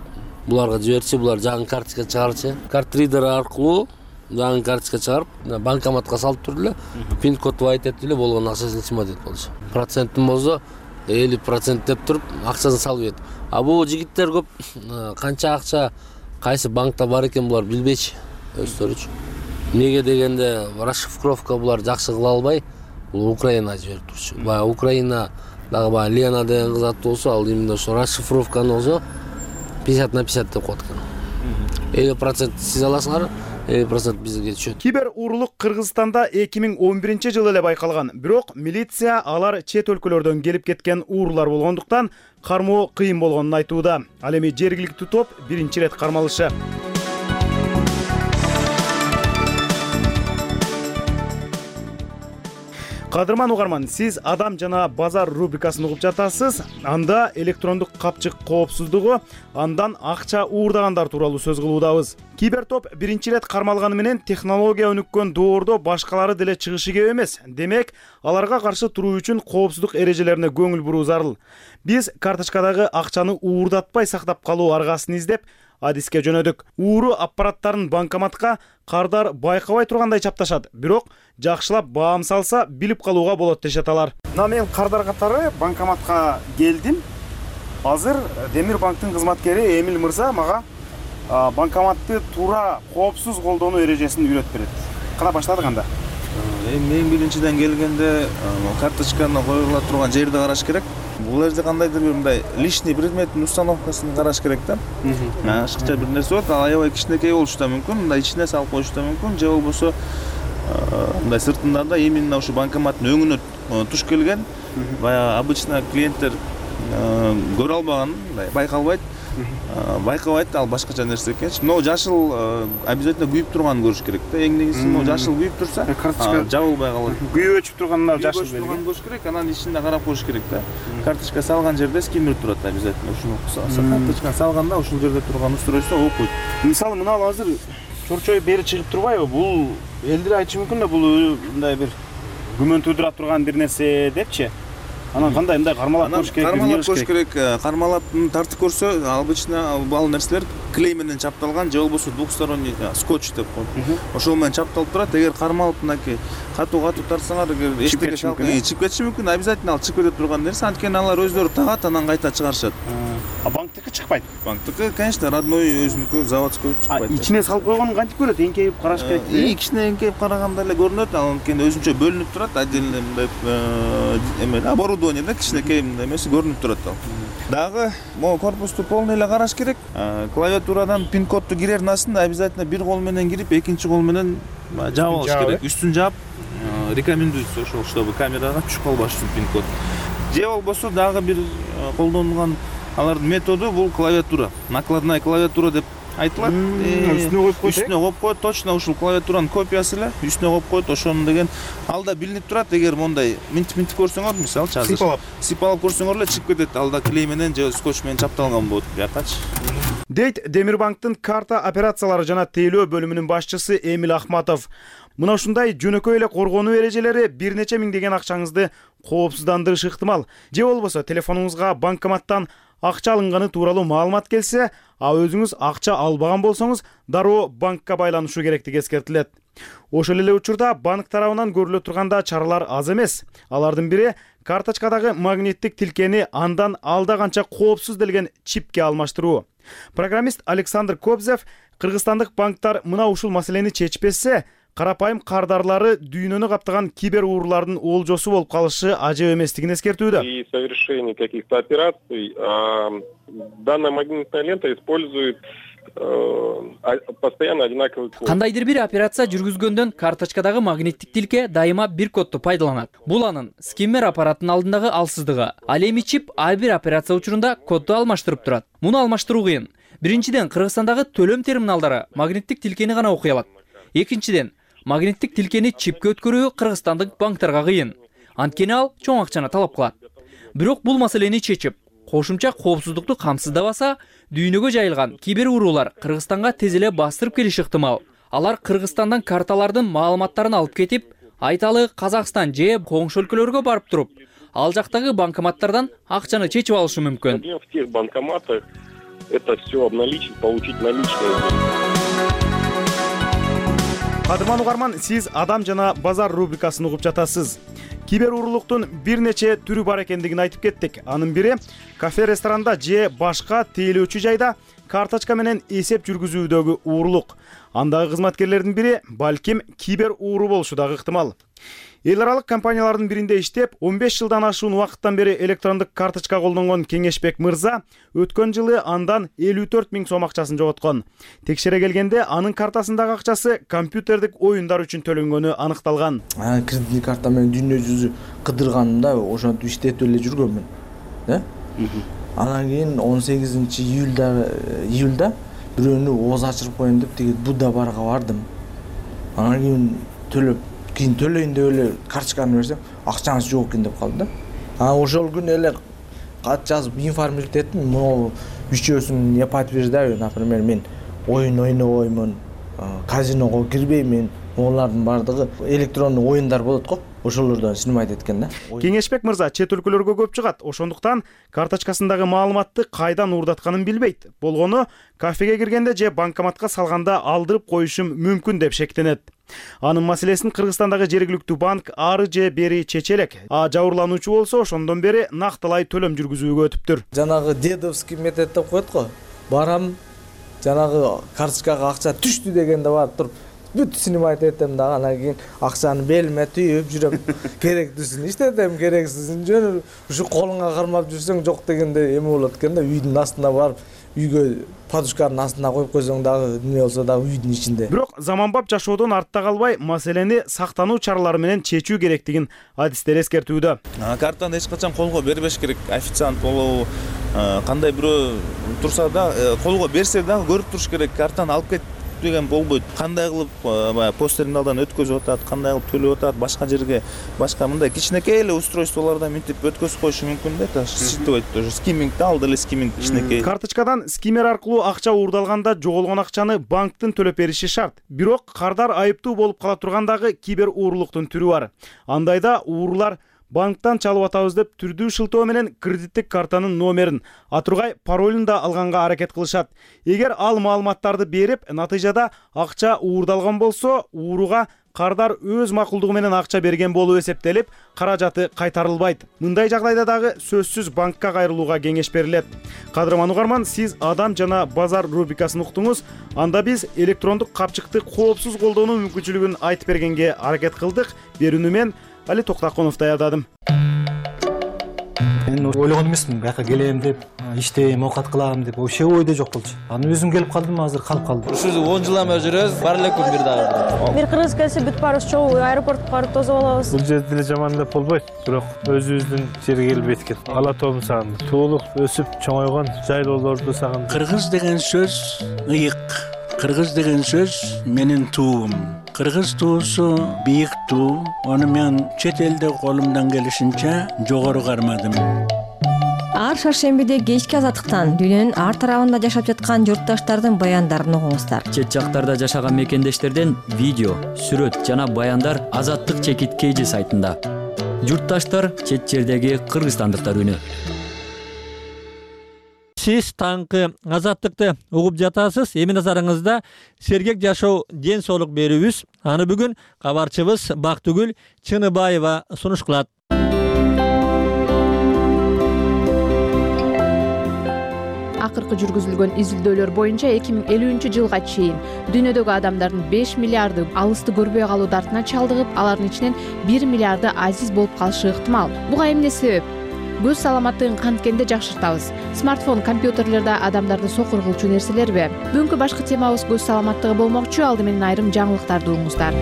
буларга жиберчи, булар жаңы карточка чыгарчы. Карт рейдер аркылуу жаңы карточка чыгарып, банкоматка салып туруп эле, пин кодду айтып эле болгон акчасын сымат этип болчу. Процентин болсо 50% деп туруп, акчасын салып ийет. А бул жигиттер көп канча акча кайсы банкта бар экен булар билбейчи өздөрүчү. Неге дегенде расшифровка булар жакшы кыла албай, бул Украинага жиберип турчу. Баягы Украина дагы Лена деген кыз аттуу болсо, ал именно ошо расшифровканы болсо 50/50 деп коет экен. 50% сиз аласыңар, 50% бизге түшөт. Кибер уурулук Кыргызстанда 2011-жылы эле байкалган. Бирок милиция алар чет өлкөлөрдөн келип кеткен уурулар болгондуктан кармоо кыйын болгонун айтууда. Ал эми жергиликтүү топ биринчи рет кармалышы. Кадырман угарман, сиз Адам жана базар рубрикасын угуп жатасыз. Анда электрондук капчык коопсуздугу, андан акча уурдагандар тууралуу сөз кылуудабыз. Кибертоп биринчи ирет кармалганы менен технология өнүккөн доордо башкалары деле чыгышы кеп эмес. Демек, аларга каршы туруу үчүн коопсуздук эрежелерине көңүл буруу зарыл. Биз карточкадагы акчаны уурдатпай сактап калуу аргасын издеп, адиске жөнөдүк. Ууру аппараттарын банкоматка кардар байкабай тургандай чапташат. Бирок жакшылап баам салса, билип калууга болот дешет алар. Мен кардар катары банкоматка келдим. Азыр Демир банктын кызматкери Эмил мырза мага банкоматты туура коопсуз колдонуу эрежесин үйрөтүп берет. Кана баштадык анда? Мен биринчиден келгенде карточканы коюла турган жерди караш керек. Бул жерде кандайдыр бир мындай лишний предметтин установкасын караш керек да. Ашыкча бир нерсе болот, ал аябай кичинекей болушу да мүмкүн, мындай ичине салып коюшу да мүмкүн, же болбосо мындай сыртында да именно ушу банкоматтын өңүнө туш келген, баягы обычно клиенттер көрө албаган, мындай байкабайт, ал башкача нерсе экенчи. Но жашыл обязательно күйүп турганын көрүш керек да. Эң негизгиси могу жашыл күйүп турса, жабылбай калат. Күйүп өчүп турганда жашыл белги көрүш керек, анан ичинде карап коюш керек да. Карточка салган жерде скиммер турат обязательно. Ушуну карточканы салганда ушул жерде турган устройство окуйт. Мисалы мына азыр чорчой бери чыгып турбайбы? Бул элдер айтышы мүмкүн да, бул мындай бир күмөн туудура турган бир нерсе депчи. Анан кандай мындай кармалап коюш керек? Кармалап коюш керек. Кармалап тартып көрсө, обычно ал нерселер клей менен чапталган, же болбосо двухсторонний скотч деп коет. Ошол менен чапталып турат. Эгер кармалып мынакей катуу тартсаңар, эгер эчтеке чыгып кетиши мүмкүн, обязательно ал чыгып кете турган нерсе. Анткени алар өздөрү тагат, анан кайта чыгарышат. А банктыкы чыкпайт? Банктыкы, конечно, родной өзүнүкү, заводской чыкпайт. Ичине салып койгонун кантип көрөт? Эңкейип караш керек. Кичине эңкейип караганда эле көрүнөт. Ал анткени өзүнчө бөлүнүп турат, отдельно мындай эме оборудование да, кичинекей мындай эмеси көрүнүп турат ал. Дагы могу корпусту полный эле караш керек. Клавиатурадан пин-кодду кирердин астында обязательно бир кол менен кирип, экинчи кол менен жаап алыш керек. Үстүн жаап, рекомендуется ошол, чтобы камерага түшүп калбаш үчүн пин-код. Же болбосо дагы бир колдонулган алардын методу бул клавиатура. Накладная клавиатура деп айтылат. Үстүнө коюп коет, точно ушул клавиатуранын копиясы эле үстүнө коюп коет. Ошону деген алда билинип турат. Эгер мондай минтип көрсөңөр, мисалы азыр сыйпалап көрсөңөр эле чыгып кетет. Алда клей менен же скотч менен чапталган болот биякачы. Дейт Демирбанктын карта операциялары жана тейлөө бөлүмүнүн башчысы Эмил Ахматов. Мына ушундай жөнөкөй эле коргонуу эрежелери бир нече миңдеген акчаңызды коопсуздандырышы ыктымал. Же болбосо телефонуңузга банкоматтан акча алынганы тууралуу маалымат келсе, өзүңүз акча албаган болсоңуз, дароо банкка байланышу керектиги эскертилет. Ошол эле учурда банк тарабынан көрүлө турганда чаралар аз эмес. Алардын бири карточкадагы магниттик тилкени андан алда канча коопсуз делген чипке алмаштыруу. Программист Александр Кобзев кыргызстандык банктар мына ушул маселени чечпесе, карапайым кардарлары дүйнөнү каптаган кибер уурулардын олжосу болуп калышы ажеп эместигин эскертүүдө. При совершении каких-то операций данная магнитная лента использует постоянно одинаковый код. Кандайдыр бир операция жүргүзгөндөн карточкадагы магниттик тилке дайыма бир кодду пайдаланат. Бул анын скиммер аппараттын алдындагы алсыздыгы. Ал эми чип ар бир операция учурунда кодду алмаштырып турат. Муну алмаштыруу кыйын. Биринчиден, Кыргызстандагы төлөм терминалдары магниттик тилкени гана окуй алат. Экинчиден, магниттик тилкени чипке өткөрүү кыргызстандык банктарга кыйын. Анткени ал чоң акчаны талап кылат. Бирок бул маселени чечип, кошумча коопсуздукту камсыздабаса, дүйнөгө жайылган кибер уурулар Кыргызстанга тез эле бастырып келиши ыктымал. Алар Кыргызстандан карталардын маалыматтарын алып кетип, айталы Казакстан же коңшу өлкөлөргө барып туруп, ал жактагы банкоматтардан акчаны чечип алышы мүмкүн. В тех банкоматах это все обналичить, получить наличные. Кадырман угарман, сиз Адам жана базар рубрикасын угуп жатасыз. Кибер уурулуктун бир нече түрү бар экендигин айтып кеттик. Анын бири кафе, ресторанда же башка тейлөөчү жайда карточка менен эсеп жүргүзүүдөгү уурулук. Андагы кызматкерлердин бири балким кибер ууру болушу дагы ыктымал. Эл аралык компаниялардын биринде иштеп, 15 жылдан ашуун убакыттан бери электрондук карточка колдонгон Кеңешбек мырза өткөн жылы андан 54 000 сом акчасын жоготкон. Текшере келгенде анын картасындагы акчасы компьютердик оюндар үчүн төлөнгөнү аныкталган. Кредиттик карта менен дүйнө жүзү кыдырганымда ошентип иштетип эле жүргөнмүн. Анан кийин 18 июлда бирөөнү ооз ачырып коеюн деп Будда барга бардым. Анан кийин төлөп кийин төлөйүн деп эле карточканы берсем акчаңыз жок экен деп калды да. Ошол күнү эле кат жазып информировать эттим. Могу үчөөсүн эпат берди. Например, мен оюн ойнобоймун, казиного кирбеймин. Олардын бардыгы электрондук оюндар болот го. Ошолордон снимать эткен да. Кеңешбек мырза чет өлкөлөргө көп чыгат. Ошондуктан карточкасындагы маалыматты кайдан уурдатканын билбейт. Болгону кафеге киргенде же банкоматка салганда алдырып коюшум мүмкүн деп шектенет. Анын маселесин Кыргызстандагы жергиликтүү банк ары же бери чече элек. Жабырлануучу болсо ошондон бери нактылай төлөм жүргүзүүгө өтүптүр. Жанагы дедовский метод деп коет го. Барам, жанагы карточкага акча түштү дегенде барып туруп бүт снимать этем дагы, анан кийин акчаны белиме түйүп жүрөм. Керектүүсүн иштетем, керексизин жөн ушу колуңа кармап жүрсөң жок дегенде эме болот экен да. Үйдүн астына барып, үйгө подушканын астына коюп койсоң дагы эмне болсо дагы үйдүн ичинде. Бирок заманбап жашоодон артта калбай, маселени сактануу чаралары менен чечүү керектигин адистер эскертүүдө. Картаны эч качан колго бербеш керек. Официант болобу, кандай бирөө турса да колго берсе дагы көрүп туруш керек. Картаны алып кет деген болбойт. Кандай кылып посттерминалдан өткөзүп атат, кандай кылып төлөп атат, башка жерге, башка мындай кичинекей эле устройстволордон минтип өткөзүп коюшу мүмкүн да. Ситебейт тоже скиммингди алды эле скимминг кичинекей. Карточкадан скиммер аркылуу акча уурдалганда жоголгон акчаны банктын төлөп бериши шарт. Бирок кардар айыптуу болуп кала тургандагы кибер уурулуктун түрү бар. Андайда уурулар банктан чалып атабыз деп түрдүү шылтоо менен кредиттик картанын номерин, атургай паролун да алганга аракет кылышат. Эгер ал маалыматтарды берип, натыйжада акча уурдалган болсо, ууруга кардар өз макулдугу менен акча берген болуп эсептелип, каражаты кайтарылбайт. Мындай жагдайда дагы сөзсүз банкка кайрылууга кеңеш берилет. Кадырман угарман, сиз Адам жана базар рубрикасын уктуңуз. Анда биз электрондук капчыкты коопсуз колдонуу мүмкүнчүлүгүн айтып бергенге аракет кылдык. Берүүнү мен Али Токтаконов даярдадым. Мен ойлогон эмесмин, бияка келем деп, иштейм, оокат кылам деп, вообще ойдо жок болчу. Аны өзүм келип калдым, азыр калып калдым. Ушу 10 жылдан бери жүрөбүз, бар эле күн бир дагы. Бир кыргыз келсе бүт барыбыз чогуу аэропортко барып тосуп алабыз. Бул жерде деле жаман деп болбойт, бирок өзүбүздүн жерге келип эткен. Ала тоомду сагындым. Туулуп, өсүп, чоңойгон жайлоолорду сагындым. Кыргыз деген сөз ыйык. Кыргыз деген сөз менин туум. Кыргыз туусу бийик туу. Аны мен чет элде колумдан келишинче жогору кармадым. Ар шаршембиде кечки азаттыктан дүйнөнүн ар тарабында жашап жаткан журтташтардын баяндарын угуңуздар. Чет жактарда жашаган мекендештерден видео, сүрөт жана баяндар Азаттык чекиткейжи сайтында. Журтташтар чет жердеги кыргызстандыктар үнү. Сиз таңкы Азаттыкты угуп жатасыз. Эми назарыңызда сергек жашоо ден соолук берүүбүз. Аны бүгүн кабарчыбыз Бактыгүл Чыныбаева сунуш кылат. Акыркы жүргүзүлгөн изилдөөлөр боюнча 2050-жылга чейин дүйнөдөгү адамдардын 5 миллиарды алысты көрбөй калуу дартына чалдыгып, алардын ичинен 1 миллиарды азиз болуп калышы ыктымал. Буга эмне себеп? Көз саламаттыгын канткенде жакшыртабыз. Смартфон, компьютерлерде адамдарды сокур кылчу нерселерби? Бүгүнкү башкы темабыз көз саламаттыгы болмокчу. Алды менен айрым жаңылыктарды угуңуздар.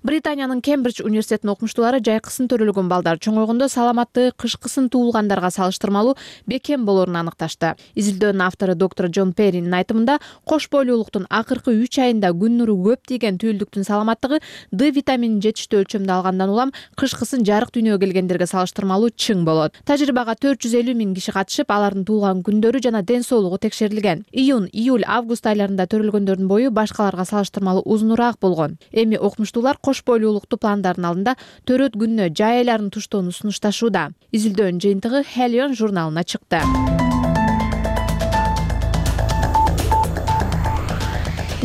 Британиянын Кембридж университетинин окумуштуулары жайкысын төрөлгөн балдар чоңойгондо саламаттыгы кышкысын туулгандарга салыштырмалуу бекем болоорун аныкташты. Изилдөөнүн автору доктор Джон Перринин айтымында, кош бойлуулуктун акыркы 3 айында күн нуру көп тийген түйүлдүктүн саламаттыгы D витаминин жетиштүү өлчөмдө алгандан улам кышкысын жарык дүйнөгө келгендерге салыштырмалуу чың болот. Тажрыйбага 450 000 киши катышып, алардын туулган күндөрү жана ден соолугу текшерилген. Июнь, июль, август айларында төрөлгөндөрдүн бою башкаларга салыштырмалуу узунураак болгон. Эми окумуштуулар кош бойлуулукту пландардын алдында төрөт күнүнө жай айларын туштоону сунушташууда. Изилдөөнүн жыйынтыгы Helion журналына чыкты.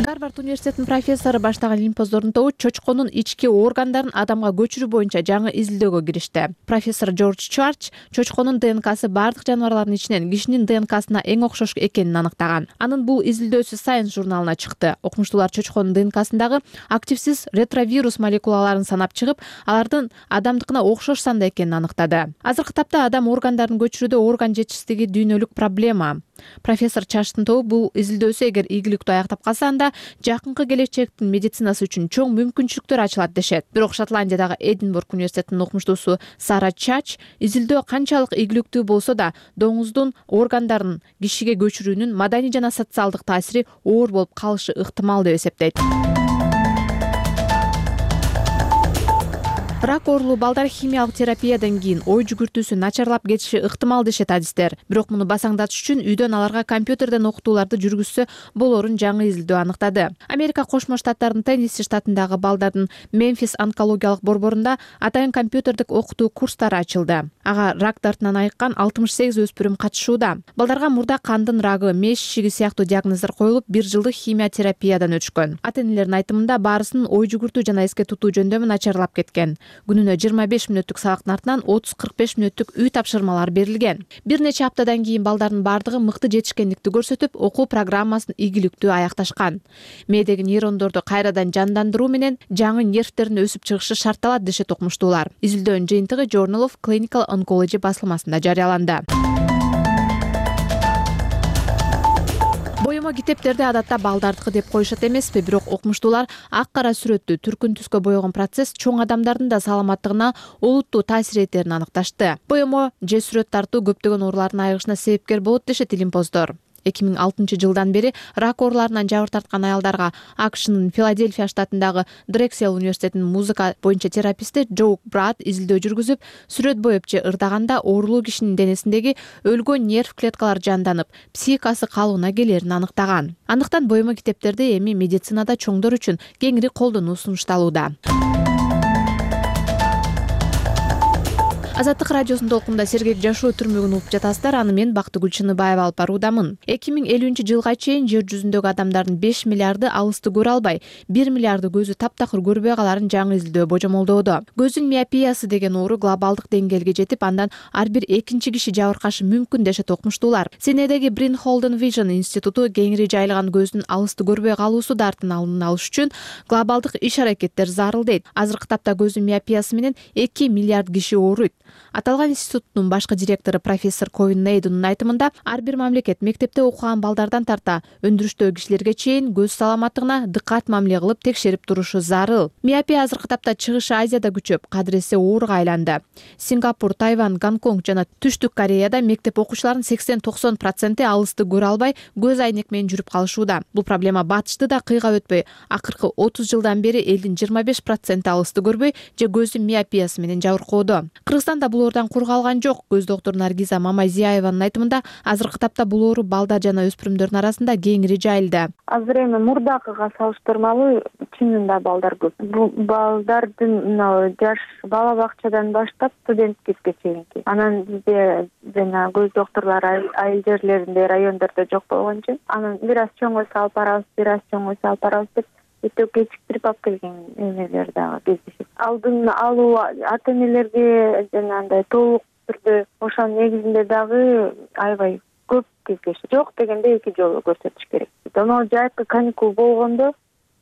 Гарвард университетинин профессору баштаган лимпоздордун тобу чочконун ички органдарын адамга көчүрүү боюнча жаңы изилдөөгө киришти. Профессор Джордж Чарч чочконун ДНКсы бардык жаныбарлардын ичинен кишинин ДНКсына эң окшош экенин аныктаган. Анын бул изилдөөсү Science журналына чыкты. Окумуштуулар чочконун ДНКсындагы активсиз ретровирус молекулаларын санап чыгып, алардын адамдыкына окшош санда экенин аныктады. Азыркы тапта адам органдарын көчүрүүдө орган жетишсиздиги дүйнөлүк проблема. Профессор Чарчтын тобу бул изилдөөсү эгер ийгиликтүү аяктап калса, анда жакынкы келечектин медицинасы үчүн чоң мүмкүнчүлүктөр ачылат дешет. Бирок Шотландиядагы Эдинбург университетинин окумуштуусу Сара Чач изилдөө канчалык ийгиликтүү болсо да, доңуздун органдарын кишиге көчүрүүнүн маданий жана социалдык таасири оор болуп калышы ыктымал деп эсептейт. Рак оорулуу балдар химиялык терапиядан кийин ой жүгүртүүсү начарлап кетиши ыктымал дешет адистер. Бирок муну басаңдатыш үчүн үйдөн аларга компьютерден окутууларды жүргүзсө болорун жаңы изилдөө аныктады. Америка Кошмо Штаттарынын Теннесси штатындагы балдардын Мемфис онкологиялык борборунда атайын компьютердик окутуу курстары ачылды. Ага рак дартынан айыккан 68 өспүрүм катышууда. Балдарга мурда кандын рагы, меш ишиги сыяктуу диагноздар коюлуп, 1 жылдык химия терапиядан өтүшкөн. Ата-энелердин айтымында баарысынын ой жүгүртүү жана эске тутуу жөндөмү начарлап кеткен. Күнүнө 25 мүнөттүк сабактын артынан 30-45 мүнөттүк үй тапшырмалар берилген. Бир нече аптадан кийин балдардын бардыгы мыкты жетишкендикти көрсөтүп, окуу программасын ийгиликтүү аякташкан. Мээдеги нейрондорду кайрадан жандандыруу менен жаңы нервтердин өсүп чыгышы шартталат дешет окумуштуулар. Изилдөөнүн жыйынтыгы Journal of Clinical Oncology басылмасында жарыяланды. Боёмо китептерди адатта балдардыкы деп коюшат эмеспи, бирок окумуштуулар ак кара сүрөттү түркүн түскө боёгон процесс чоң адамдардын да саламаттыгына олуттуу таасир этерин аныкташты. Боёмо же сүрөт тартуу көптөгөн оорулардын айыгышына себепкер болот дешет илимпоздор. 2006 жылдан бери рак ооруларынан жабыр тарткан аялдарга АКШнын Филадельфия штатындагы Дрексел университетинин музыка боюнча тераписти Джоук Брат изилдөө жүргүзүп, сүрөт боеп же ырдаганда оорулуу кишинин денесиндеги өлгөн нерв клеткалары жанданып, психикасы калыбына келерин аныктаган. Андыктан боёмо китептерди эми медицинада чоңдор үчүн кеңири колдонуу сунушталууда. Азаттык радиосунун толкунда сергек жашоо түрмөгүн угуп жатасыздар. Аны мен Бактыгүл Чыныбаева алып баруудамын. 2050-жылга чейин жер жүзүндөгү адамдардын 5 миллиарды алысты көрө албай, 1 миллиарды көзү таптакыр көрбөй каларын жаңы изилдөө божомолдоодо. Көздүн миопиясы деген оору глобалдык деңгээлге жетип, андан ар бир экинчи киши жабыркашы мүмкүн дешет окумуштуулар. Сенедеги Брин Холден Vision институту кеңири жайылган көздүн алысты көрбөй калуусу дартын алдын алыш үчүн глобалдык иш-аракеттер зарыл дейт. Азыркы тапта көздүн миопиясы менен 2 миллиард киши ооруйт. Аталган институттун башкы директору профессор Ковин Нейдунун айтымында, ар бир мамлекет мектепте окуган балдардан тарта өндүрүштөгү кишилерге чейин көз саламаттыгына дыккат мамиле кылып текшерип турушу зарыл. Миопия азыркы тапта чыгышы Азияда күчөп, кадыресе ооруга айланды. Сингапур, Тайвань, Гонконг жана Түштүк Кореяда мектеп окуучуларынын 80-90% алысты көрө албай, көз айнек менен жүрүп калышууда. Бул проблема батышты да кыйгап өтпөй, акыркы 30 жылдан бери элдин 25% алысты көрбөй же көздүн миопиясы менен жабыркоодо. Кыргызстанда бул оордан кур калган жок. Көз доктуру Наргиза Мамайзиеванын айтымында, азыркы тапта бул оору балдар жана өспүрүмдөрдүн арасында кеңири жайылды. Азыр эми мурдакыга салыштырмалуу чынында балдар көп. Бул балдардын жаш бала бакчадан баштап студенткиге чейинки. Анан бизде жана көз доктурлары айыл жерлеринде, райондордо жок болгон үчүн, анан бир аз чоңойсо алып барабыз, бир аз чоңойсо алып барабыз деп өтө кечиктирип алып келген эмелер дагы кездешет. Алдын алуу ата-энелерге жанагындай толук түрдө ошонун негизинде дагы аябай көп кездешет. Жок дегенде 2 жолу көрсөтүш керек. Анан жайкы каникул болгондо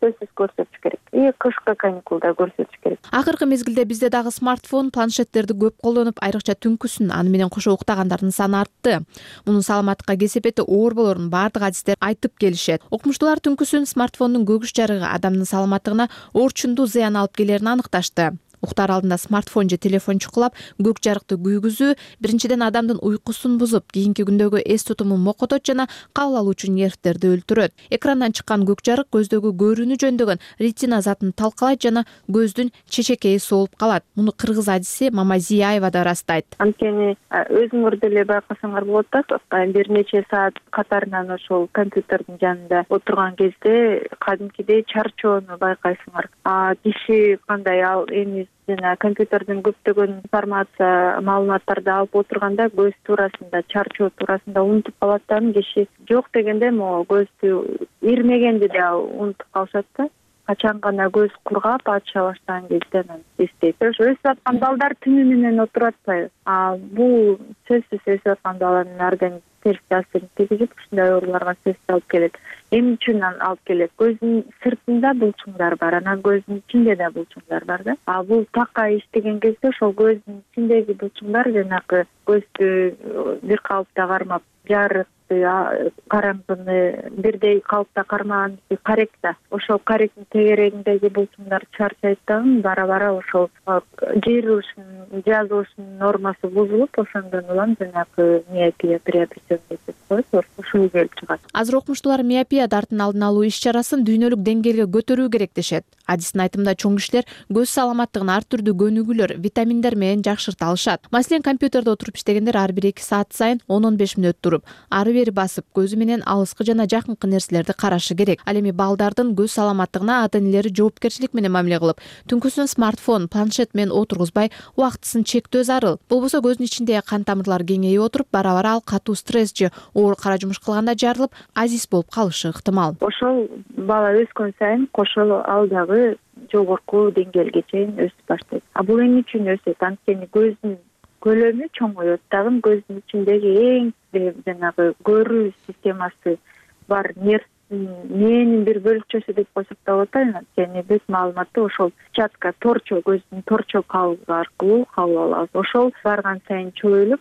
сөзсүз көрсөтүш керек. И кышкы каникулда көрсөтүш керек. Акыркы мезгилде бизде дагы смартфон, планшеттерди көп колдонуп, айрыкча түнкүсүн аны менен кошо уктагандардын саны артты. Мунун саламаттыкка кесепети оор болорун бардык адистер айтып келишет. Окумуштуулар түнкүсүн смартфондун көгүш жарыгы адамдын саламаттыгына орчундуу зыян алып келерин аныкташты. Уктар алдында смартфон же телефон чукулап, көк жарыкты күйгүзүү биринчиден адамдын уйкусун бузуп, кийинки күндөгү эс тутумун мокотот жана кабыл алуучу нервтерди өлтүрөт. Экрандан чыккан көк жарык көздөгү көрүүнү жөндөгөн ретина затын талкалайт жана көздүн чечекейи соолуп калат. Муну кыргыз адиси Мамайзиева да ырастайт. Анткени өзүңөр деле байкасаңар болот да, бир нече саат катарынан ошол компьютердин жанында отурган кезде кадимкидей чарчоону байкайсыңар. Киши кандай эми жана компьютердин көптөгөн информация, маалыматтарды алып отурганда көз туурасында, чарчоо туурасында унутуп калат да, киши жок дегенде могу көздү ирмегенди да унутуп калышат да. Качан гана көз кургап ача баштаган кезде анан эстейт. Өсүп аткан балдар түнү менен отурат атпайбы? Бул сөзсүз өсүп аткан баланын организмине терс таасирин тийгизип, ушундай ооруларга сөзсүз алып келет. Эмне үчүн алып келет? Көздүн сыртында булчуңдар бар, анан көздүн ичинде да булчуңдар бар да. Бул такка иштеген кезде ошол көздүн ичиндеги булчуңдар жанагы көздү бир калыпта кармап, жарык таапты, караңгыны бирдей калыпта кармаган карек да. Ошол каректин тегерегиндеги булчуңдар чарчайт дагы, бара ошол жыйырылышынын, жазылышынын нормасы бузулуп, ошондон улам жанагы миопия приобретенный деп коет, ушул келип чыгат. Азыр окумуштуулар миопия дартын алдын алуу иш-чарасын дүйнөлүк деңгээлге көтөрүү керек дешет. Адистин айтымында чоң кишилер көз саламаттыгын ар түрдүү көнүгүүлөр, витаминдер менен жакшырта алышат. Маселен, компьютерде отуруп иштегендер ар бир 2 саат сайын 10-15 мүнөт туруп, ары бери басып, көзү менен алыскы жана жакынкы нерселерди карашы керек. Ал эми балдардын көз саламаттыгына ата-энелери жоопкерчилик менен мамиле кылып, түнкүсүн смартфон, планшет менен отургузбай, убактысын чектөө зарыл. Болбосо көздүн ичиндеги кан тамырлары кеңейип отуруп, бара-бара ал катуу стресс же оор кара жумуш кылганда жарылып, азиз болуп калышы ыктымал. Ошол бала өскөн сайын кошо ал дагы жогорку деңгээлге чейин өсүп баштайт. Бул эмне үчүн өсөт? Анткени көздүн көлөмү чоңоет дагы, көздүн ичиндеги эң жанагы көрүү системасы бар нервнин бир бөлүкчөсү деп койсок да болот. Анткени бүт маалыматты ошол сетчатка, торчо, көздүн торчо кабыгы аркылуу кабыл алабыз. Ошол барган сайын чоюлуп,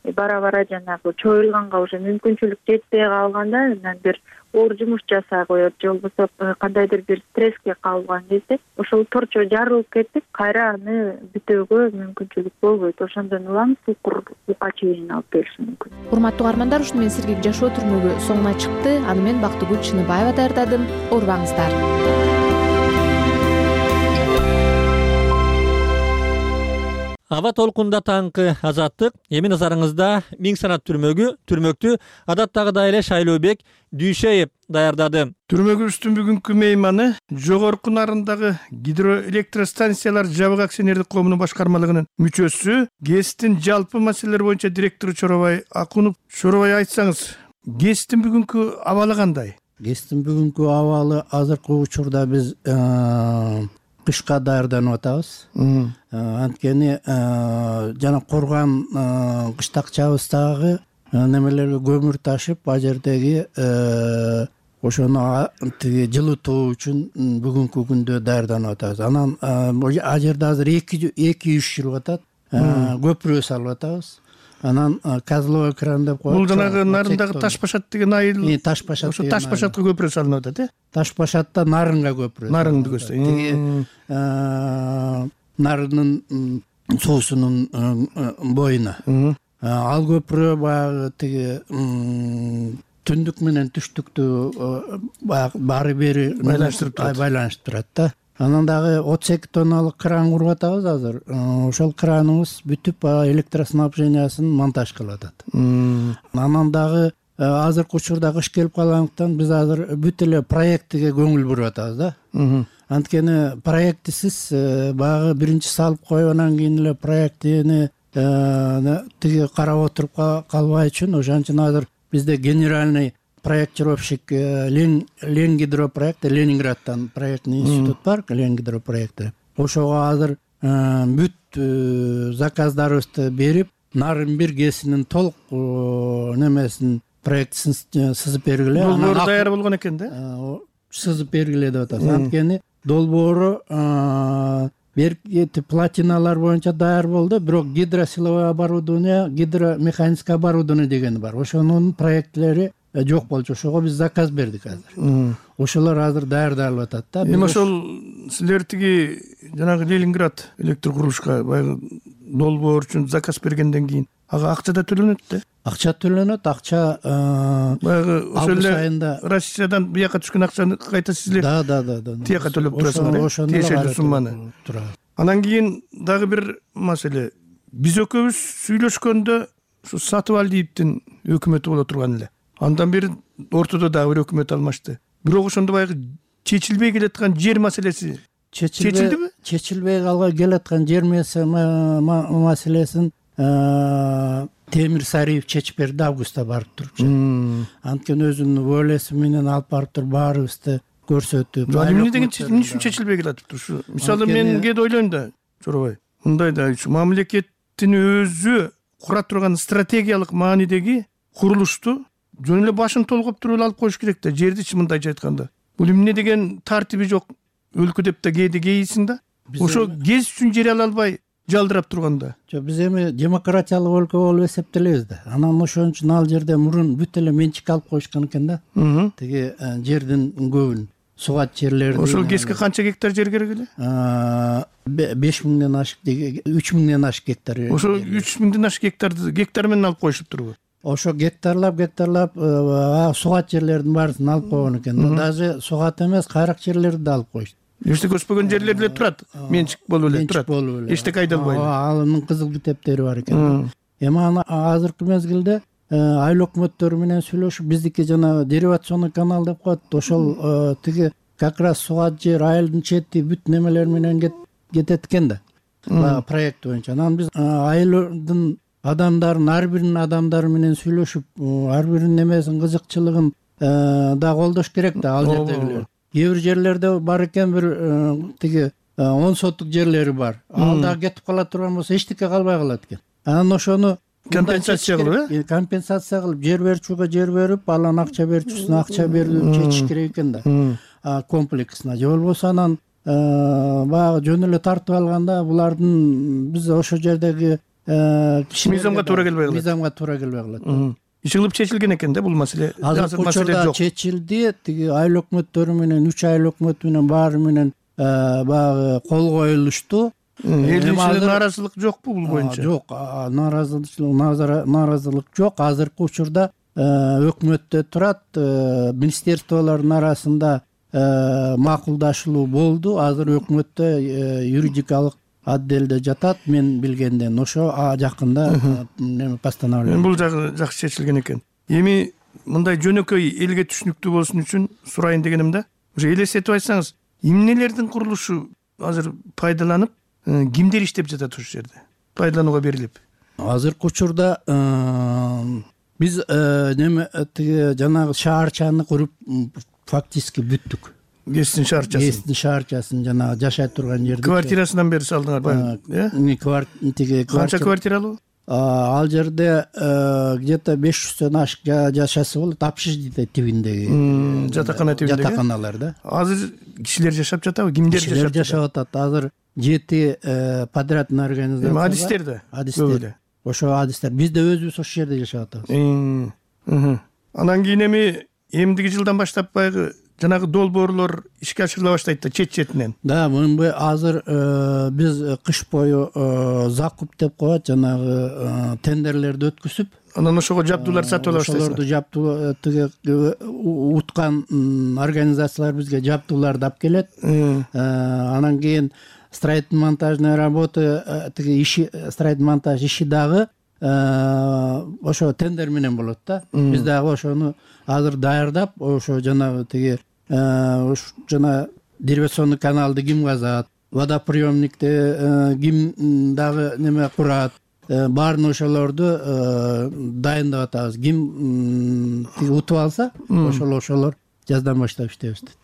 бара-бара жанагы чоюлганга уже мүмкүнчүлүк жетпей калганда анан бир оор жумуш жасай коет, же болбосо кандайдыр бир стресске кабылган кезде ошол торчо жарылып кетип, кайра аны бүтөөгө мүмкүнчүлүк болбойт. Ошондон улам сукурга чейин алып келиши мүмкүн. Урматтуу угармандар, ушуну менен сергек жашоо түрмөгү соңуна чыкты. Аны мен Бактыгүл Чыныбаева даярдадым. Оорубаңыздар. Аба толкунда таңкы Азаттык. Эми назарыңызда Миң санат түрмөктү адаттагыдай эле Шайлообек Дүйшеев даярдады. Түрмөгүбүздүн бүгүнкү мейманы Жогорку Нарындагы гидроэлектростанциялар жабык акционердик коомунун башкармалыгынын мүчөсү, ГЭСтин жалпы маселелер боюнча директору Чоробай Акунов. Чоробай, айтсаңыз, ГЭСтин бүгүнкү абалы кандай? ГЭСтин бүгүнкү абалы азыркы учурда биз кышка даярданып атабыз. Анткени жана корган кыштакчабыздагы немелерге көмүр ташып, ал жердеги ошону жылытуу үчүн бүгүнкү күндө даярданып атабыз. Анан ал жерде азыр 2-3 жүрүп атат. Көпүрө салып атабыз. Анан козловой кран деп коет. Бул жанагы Нарындагы Ташбашат деген айыл. Ташбашат. Ошо Ташбашатка көпүрө салынып атат, э? Ташбашатта Нарынга көпүрө. Нарынды көздөй. Нарынын суусунун боюна. Ал көпүрө баягы тиги түндүк менен түштүктү баары бери байланыштырып турат да. Анан дагы 32 тонналык кран куруп атабыз азыр. Ошол краныбыз бүтүп электроснабжениясын монтаж кылып атат. Анан дагы азыркы учурда кыш келип калгандыктан биз азыр бүт эле проектиге көңүл буруп атабыз да. Анткени проектисиз баягы биринчи салып коюп, анан кийин эле проектини тиги карап отуруп калбай үчүн ошон үчүн азыр бизде генеральный проектировщик Ленгидропроект, Ленинградтан проектный институт бар, Ленгидропроекти. Ошого азыр бүт заказдарыбызды берип, Нарын 1 ГЭСинин толук немесин проектисин сызып бергиле. Долбоору даяр болгон экен да? Сызып бергиле деп атабыз. Анткени долбоору берки платиналар боюнча даяр болду, бирок гидросиловое оборудование, гидромеханицкое оборудование деген бар. Ошонун проектлери жок болчу. Ошого биз заказ бердик азыр. Ошолор азыр даярдалып атат да. Эми ошол силер тиги жанагы Ленинград электр курулушка баягы долбоор үчүн заказ бергенден кийин ага акча да төлөнөт да? Акча төлөнөт, акча баягы ошол эле Россиядан бияка түшкөн акчаны кайта силер тияка төлөп турасыңар, тиешелүү сумманы. Анан кийин дагы бир маселе. Биз экөөбүз сүйлөшкөндө ушу Сатыбалдиевдин өкмөтү боло турган эле. Андан бери ортодо дагы бир өкмөт алмашты. Бирок ошондо баягы чечилбей келаткан жер маселеси чечилдиби? Чечилбей келаткан жер маселесин Темир Сариев чечип берди, августта барып турчу. Анткени өзүнүн волеси менен алып барып туруп баарыбызды көрсөтүп. Эмне деген эмне үчүн чечилбей келатыптыр ушу? Мисалы мен кээде ойлойм да, Чоробай. Мындай да, мамлекеттин өзү кура турган стратегиялык маанидеги курулушту жөн эле башын толгоп туруп алып коюш керек да, жердичи мындайча айтканда. Бул эмне деген тартиби жок өлкө деп да кээде кейисиң да. Ошо ГЭС үчүн жер ала албай жалдырап турганда. Жок, биз эми демократиялык өлкө болуп эсептелебиз да. Анан ошон үчүн ал жерде мурун бүт эле менчик алып коюшкан экен да. Тиги жердин көбүн, сугат жерлерди. Ошол КЭСке канча гектар жер керек эле? 5000ден ашык, 3000ден ашык гектар. Ошо 3000ден ашык гектар менен алып коюшуп турбу? Ошо гектарлап сугат жерлердин баарысын алып койгон экен. Даже сугат эмес, кайрак жерлерди да алып коюшту. Эчтеке өспөгөн жерлер эле турат, менчик болуп эле турат. Эчтеке айдалбайт. Анын кызыл китептери бар экен. Эми аны азыркы мезгилде айыл өкмөттөрү менен сүйлөшүп, биздики жана деривационный канал деп коет. Ошол тиги как раз сугат жер, айылдын чети бүт немелер менен кетет экен да. Проект боюнча. Анан биз айылдын адамдарын, ар биринин адамдары менен сүйлөшүп, ар биринин немесин, кызыкчылыгын да колдош керек да ал жердегилер. Кээ бир жерлерде бар экен, бир тиги 10 соттук жерлери бар. Ал да кетип кала турган болсо эчтеке калбай калат экен. Анан ошону компенсация кылып, компенсация кылып, жер берүүчүгө жер берип, анан акча берүүчүсүнө акча берип чечиш керек экен да. Комплексына. Же болбосо анан баягы жөн эле тартып алганда булардын биз ошо жердеги мыйзамга туура келбей калат. Иш кылып чечилген экен да бул маселе. Азыр учурда чечилди. Тиги айыл өкмөттөрү менен, 3 айыл өкмөтү менен баары менен баягы кол коюлушту. Элдин ичинде нааразылык жокпу бул боюнча? Жок, нааразылык жок. Азыркы учурда өкмөттө турат, министерстволордун арасында макулдашылуу болду. Азыр өкмөттө юридикалык отделде жатат, мен билгенден. Ошо жакында постановление. Бул жакшы чечилген экен. Эми мындай жөнөкөй элге түшүнүктүү болушун үчүн сурайын дегеним да. Ошо элестетип айтсаңыз, эмнелердин курулушу азыр пайдаланып, кимдер иштеп жатат ошол жерде? Пайдаланууга берилип. Азыркы учурда биз жанагы шаарчаны куруп фактически бүттүк. КЭСтин шаарчасын жанагы жашай турган жерди. Квартирасынан бери салдыңар, э? Канча квартиралуу? Ал жерде где-то 500дөн ашык жашасы болот, общежитие тибиндеги. Жатакана тибиндеги. Жатаканалар да. Азыр кишилер жашап жатабы? Кимдер жашап жатат? Жашап атат. Азыр 7 подрядный организация. Эми адистер да. Адистер. Ошо адистер. Биз да өзүбүз ошол жерде жашап атабыз. Анан кийин эми эмдиги жылдан баштап баягы жанагы долбоорлор ишке ашырыла баштайт да чет-четинен. Да, мынбы азыр биз кыш бою закуп деп коет, жанагы тендерлерди өткүзүп, анан ошого жабдуулар сатып ала баштайсыздар. Ошолорду жабдуу уткан организациялар бизге жабдууларды алып келет. Анан кийин строительно-монтажный работа, строительно-монтаж иши дагы ошо тендер менен болот да. Биз дагы ошону азыр даярдап, ошо жанагы тиги жана деривационный каналды ким казат, водоприемникти ким дагы неме курат, баарын ошолорду дайындап атабыз. Ким тиги утуп алса, ошолор жаздан баштап иштейбиз дейт.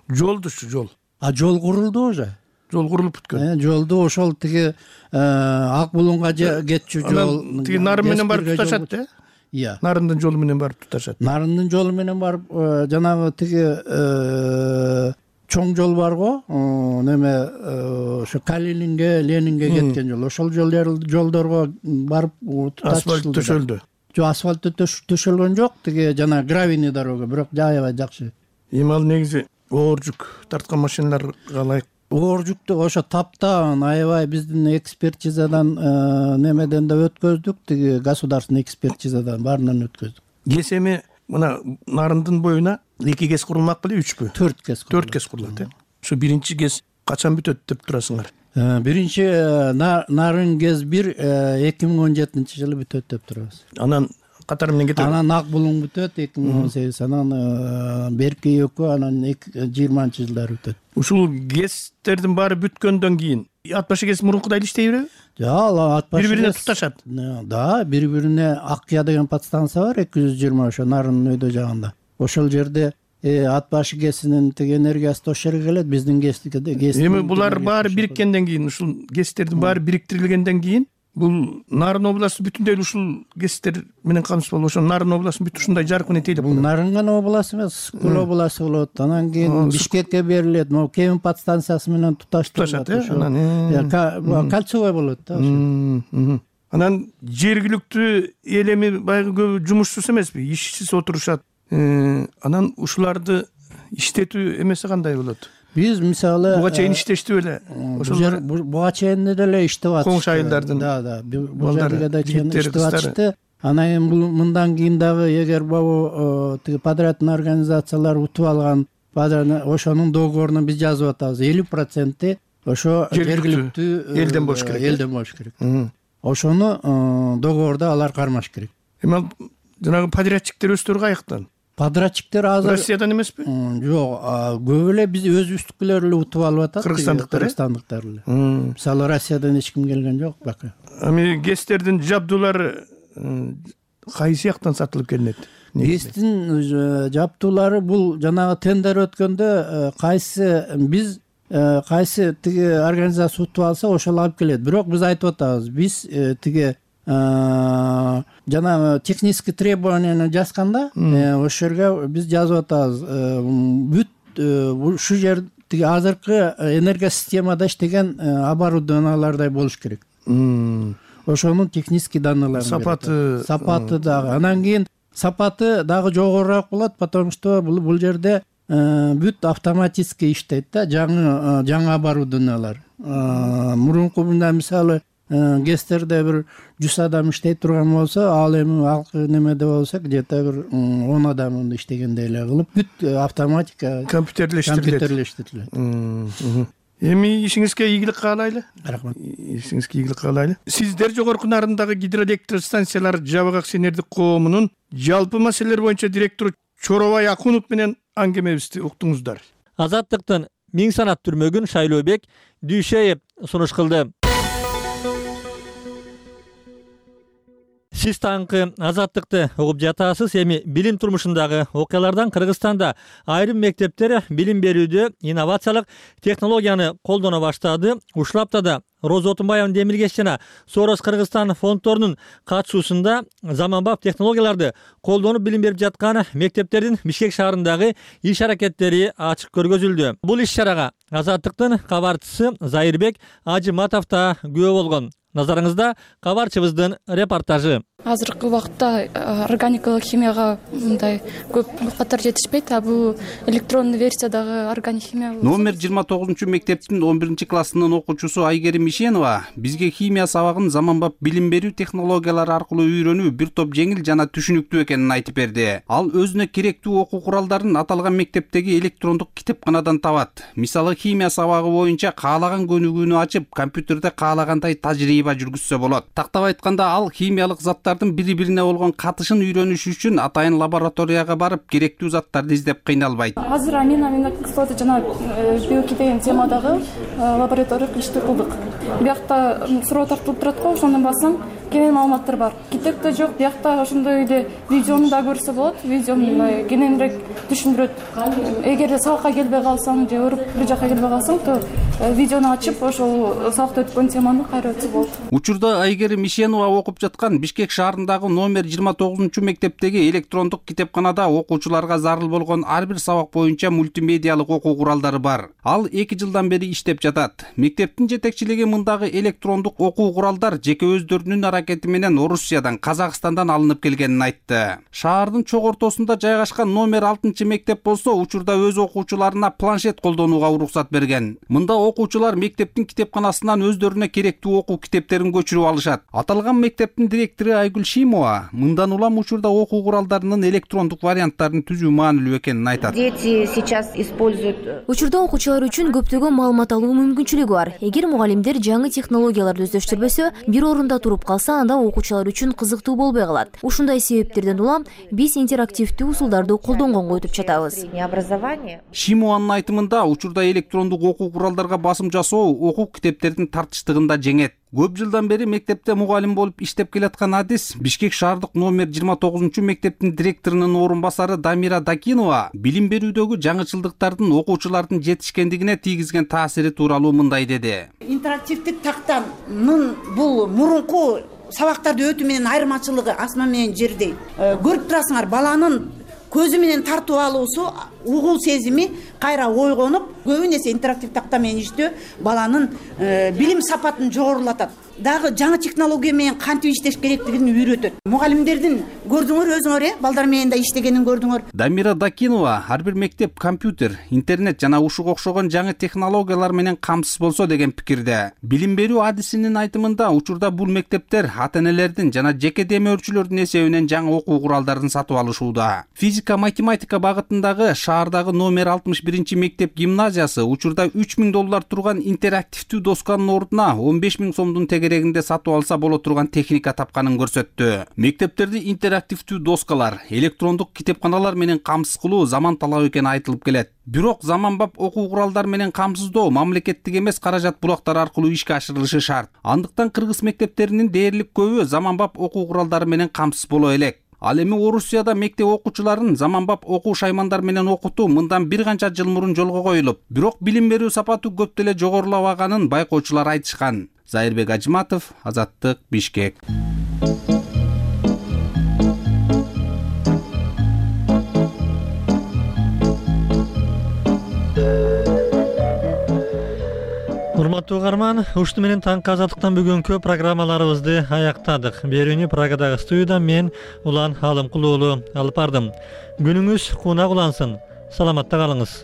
Жолдучу жол. Жол курулду уже. Жол курулуп бүткөн. Жолду ошол тиги Ак Булунга кетчү жол. Тиги нарын менен барып туташат, э? Иә. Нарындын жолу менен барып туташат. Нарындын жолу менен барып жанагы тиги чоң жол барго, неме ошо Калининге, Ленинге кеткен жол. Ошол жолдорго барып асфальт төшөлдү. Жок, асфальт төшөлгөн жок, тиги жана гравийный дорога, бирок аябай жакшы. Эми ал негизи оор жүк тарткан машиналарга ылайык. Оор жүктү ошо таптаан аябай биздин экспертизадан немеден да өткөздүк, тиги государственный экспертизадан баарынан өткөздүк. КЭС эми мына Нарындын боюна 2 КЭС курулмак беле, 3пү? 4 КЭС. 4 КЭС курулат, э? Ошо биринчи КЭС качан бүтөт деп турасыңар? Биринчи Нарын КЭС 1 2017-жылы бүтөт деп турабыз. Анан катары менен кетет. Анан Ак Булуң бүтөт 2018, анан берки экөө, анан 2020-жылдары бүтөт. Ушул КЭСтердин баары бүткөндөн кийин Атбаш КЭС мурункудай иштей береби? Жок, Атбаш бири-бирине туташат. Да, бири-бирине Аккыя деген подстанция бар, 220 ошо Нарындын өйдө жагында. Ошол жерде Атбаш КЭСинин тиги энергиясы ошол жерге келет, биздин КЭС. Эми булар баары бириккенден кийин, ушул КЭСтердин баары бириктирилгенден кийин бул Нарын областы бүтүндөй ушул кесиптер менен камсыз болуп, ошо Нарын областын бүт ушундай жарык менен тейлеп бул Нарын гана областы эмес, Көл областы болот. Анан кийин Бишкекке берилет. Могу Кемин подстанциясы менен туташтырылат. Кольцевой болот да. Анан жергиликтүү эл эми баягы көбү жумушсуз эмеспи, ишсиз отурушат. Анан ушуларды иштетүү эмеси кандай болот? Биз мисалы буга чейин иштештип эле ошолор буга чейин деле иштеп атышты. Коңшу айылдардын бул жерге да чейин иштеп атышты. Анан эми бул мындан кийин дагы эгер могу тиги подрядный организациялар утуп алган ошонун договорун биз жазып атабыз. 50% ошо жергиликтүү элден болуш керек. Ошону договордо алар кармаш керек. Эми жанагы подрядчиктер өздөрү каяктан? Подрядчиктер азыр Россиядан эмеспи? Жок, көп эле биз өзүбүздүкүлөр эле утуп алып атат. Кыргызстандыктар эле. Мисалы Россиядан эч ким келген жок бака. Эми ГЭСтердин жабдуулары кайсы жактан сатылып келинет? ГЭСтин жабдуулары бул жанагы тендер өткөндө кайсы тиги организация утуп алса ошол алып келет. Бирок биз айтып атабыз, биз тиги жанагы технический требованияны жазганда ошол жерге биз жазып атабыз. Бүт ушу жер тиги азыркы энергосистемада иштеген оборудованиялардай болуш керек. Ошонун технический данныйлары сапаты дагы. Анан кийин сапаты дагы жогорураак болот, потому что бул жерде бүт автоматически иштейт да, жаңы оборудованиялар. Мурунку мында мисалы ГЭСтерде бир 100 адам иштей турган болсо, ал эми алкы немеде болсо где-то бир 10 адам иштегендей эле кылып, бүт автоматика компьютерлештирилет. Эми ишиңизге ийгилик каалайлы. Рахмат. Ишиңизге ийгилик каалайлы. Сиздер Жогорку Нарындагы гидроэлектр станциялар жабык акционердик коомунун жалпы маселелер боюнча директору Чоробай Акунов менен аңгемебизди уктуңуздар. Азаттыктын 1000 санат түрмөгүн Шайлообек Дүйшеев сунуш кылды. Сиз таңкы Азаттыкты угуп жатасыз. Эми билим турмушундагы окуялардан Кыргызстанда айрым мектептер билим берүүдө инновациялык технологияны колдоно баштады. Ушул аптада Роза Отунбаеванын Демиргеш жана Сорос Кыргызстан фонддорунун катышуусунда заманбап технологияларды колдонуп билим берип жаткан мектептердин Бишкек шаарындагы иш аракеттери ачык көргөзүлдү. Бул иш чарага Азаттыктын кабарчысы Зайырбек Ажыматов да күбө болгон. Назарыңызда кабарчыбыздын репортажы. Азыркы убакытта органикалык химияга мындай көп катар жетишпейт, а бул электрондуу версиядагы органик химия. Номер 29 мектептин 11 классынын окуучусу Айгерим Ишенова бизге химия сабагын заманбап билим берүү технологиялары аркылуу үйрөнүү бир топ жеңил жана түшүнүктүү экенин айтып берди. Ал өзүнө керектүү окуу куралдарын аталган мектептеги электрондук китепканадан табат. Мисалы химия сабагы боюнча каалаган көнүгүүнү ачып, компьютерде каалагандай тажрыйба жүргүзсө болот. Тактап айтканда, ал химиялык заттардын бири-бирине болгон катышын үйрөнүш үчүн атайын лабораторияга барып керектүү заттарды издеп кыйналбайт. Азыр аминокислота жана белки деген темадагы лабораториялык ишти кылдык. Биякта суроо тартылып турат го, ошондон бассаң кенен маалыматтар бар. Китепте жок, биякта ошондой эле видеону да көрсө болот. Видеону кененирээк түшүндүрөт. Эгер сабакка келбей калсаң же өрүп бир жакка келбей калсаң, то видеону ачып ошол сабакта өткөн теманы кайра өтсө болот. Учурда Айгерим Ишенова окуп жаткан Бишкек шаарындагы номер 29 мектептеги электрондук китепканада окуучуларга зарыл болгон ар бир сабак боюнча мультимедиалык окуу куралдары бар. Ал 2 жылдан бери иштеп жатат. Мектептин жетекчилиги мындагы электрондук окуу куралдар жеке өздөрүнүн аракети менен Орусиядан, Казакстандан алынып келгенин айтты. Шаардын чок ортосунда жайгашкан номер 6 мектеп болсо, учурда өз окуучуларына планшет колдонууга уруксат берген. Мында окуучулар мектептин китепканасынан өздөрүнө керектүү окуу китептерин көчүрүп алышат. Аталган мектептин директору Айгүл Шимова мындан улам учурда окуу куралдарынын электрондук варианттарын түзүү маанилүү экенин айтат. Дети сейчас используют. Учурда окуучулар үчүн көптөгөн маалымат алуу мүмкүнчүлүгү бар. Эгер мугалимдер жаңы технологияларды өздөштүрбөсө, бир орунда туруп калса, анда окуучулар үчүн кызыктуу болбой калат. Ушундай себептерден улам биз интерактивдүү усулдарды колдонгонго өтүп жатабыз. Шимованын айтымында, учурда электрондук окуу куралдарга окуучуларга басым жасоо окуу китептердин тартыштыгында жеңет. Көп жылдан бери мектепте мугалим болуп иштеп келаткан Адис Бишкек шаардык номер 29 мектептин директорунун орун басары Дамира Дакинова билим берүүдөгү жаңычылдыктардын окуучулардын жетишкендигине тийгизген таасири тууралуу мындай деди. Интерактивдик тактанын бул мурунку сабактарды өтүү менен айырмачылыгы асман менен жердей. Көрүп турасыңар, баланын көзү менен тартып алуусу, угул сезими кайра ойгонуп, көбүнесе интерактив такта менен иштөө баланын билим сапатын жогорулатат. Дагы жаңы технология менен кантип иштеш керектигин үйрөтөт. Мугалимдердин көрдүңөр өзүңөр, балдар менен да иштегенин көрдүңөр. Дамира Дакинова ар бир мектеп компьютер, интернет жана ушуга окшогон жаңы технологиялар менен камсыз болсо деген пикирде. Билим берүү адисинин айтымында учурда бул мектептер ата-энелердин жана жеке демөөрчүлөрдүн эсебинен жаңы окуу куралдарын сатып алышууда. Физика, математика багытындагы шаардагы номер 61 мектеп гимназиясы учурда $3000 турган интерактивдүү досканын ордуна 15 000 сомдун керегинде сатып алса боло турган техника тапканын көрсөттү. Мектептерди интерактивдүү доскалар, электрондук китепканалар менен камсыз кылуу заман талабы экени айтылып келет. Бирок заманбап окуу куралдар менен камсыздоо мамлекеттик эмес каражат булактары аркылуу ишке ашырылышы шарт. Андыктан кыргыз мектептеринин дээрлик көбү заманбап окуу куралдары менен камсыз боло элек. Ал эми Орусияда мектеп окуучуларын заманбап окуу шаймандар менен окутуу мындан бир канча жыл мурун жолго коюлуп, бирок билим берүү сапаты көп деле жогорулабаганын байкоочулар айтышкан. Зайырбек Ажматов, Азаттык, Бишкек. Урматтуу угарман, ушуну менен таңкы азаттыктан бүгүнкү программаларыбызды аяктадык. Берүүнү Прагадагы студиядан мен Улан Алымкулуу алып бардым. Күнүңүз кунак улансын. Саламатта калыңыз.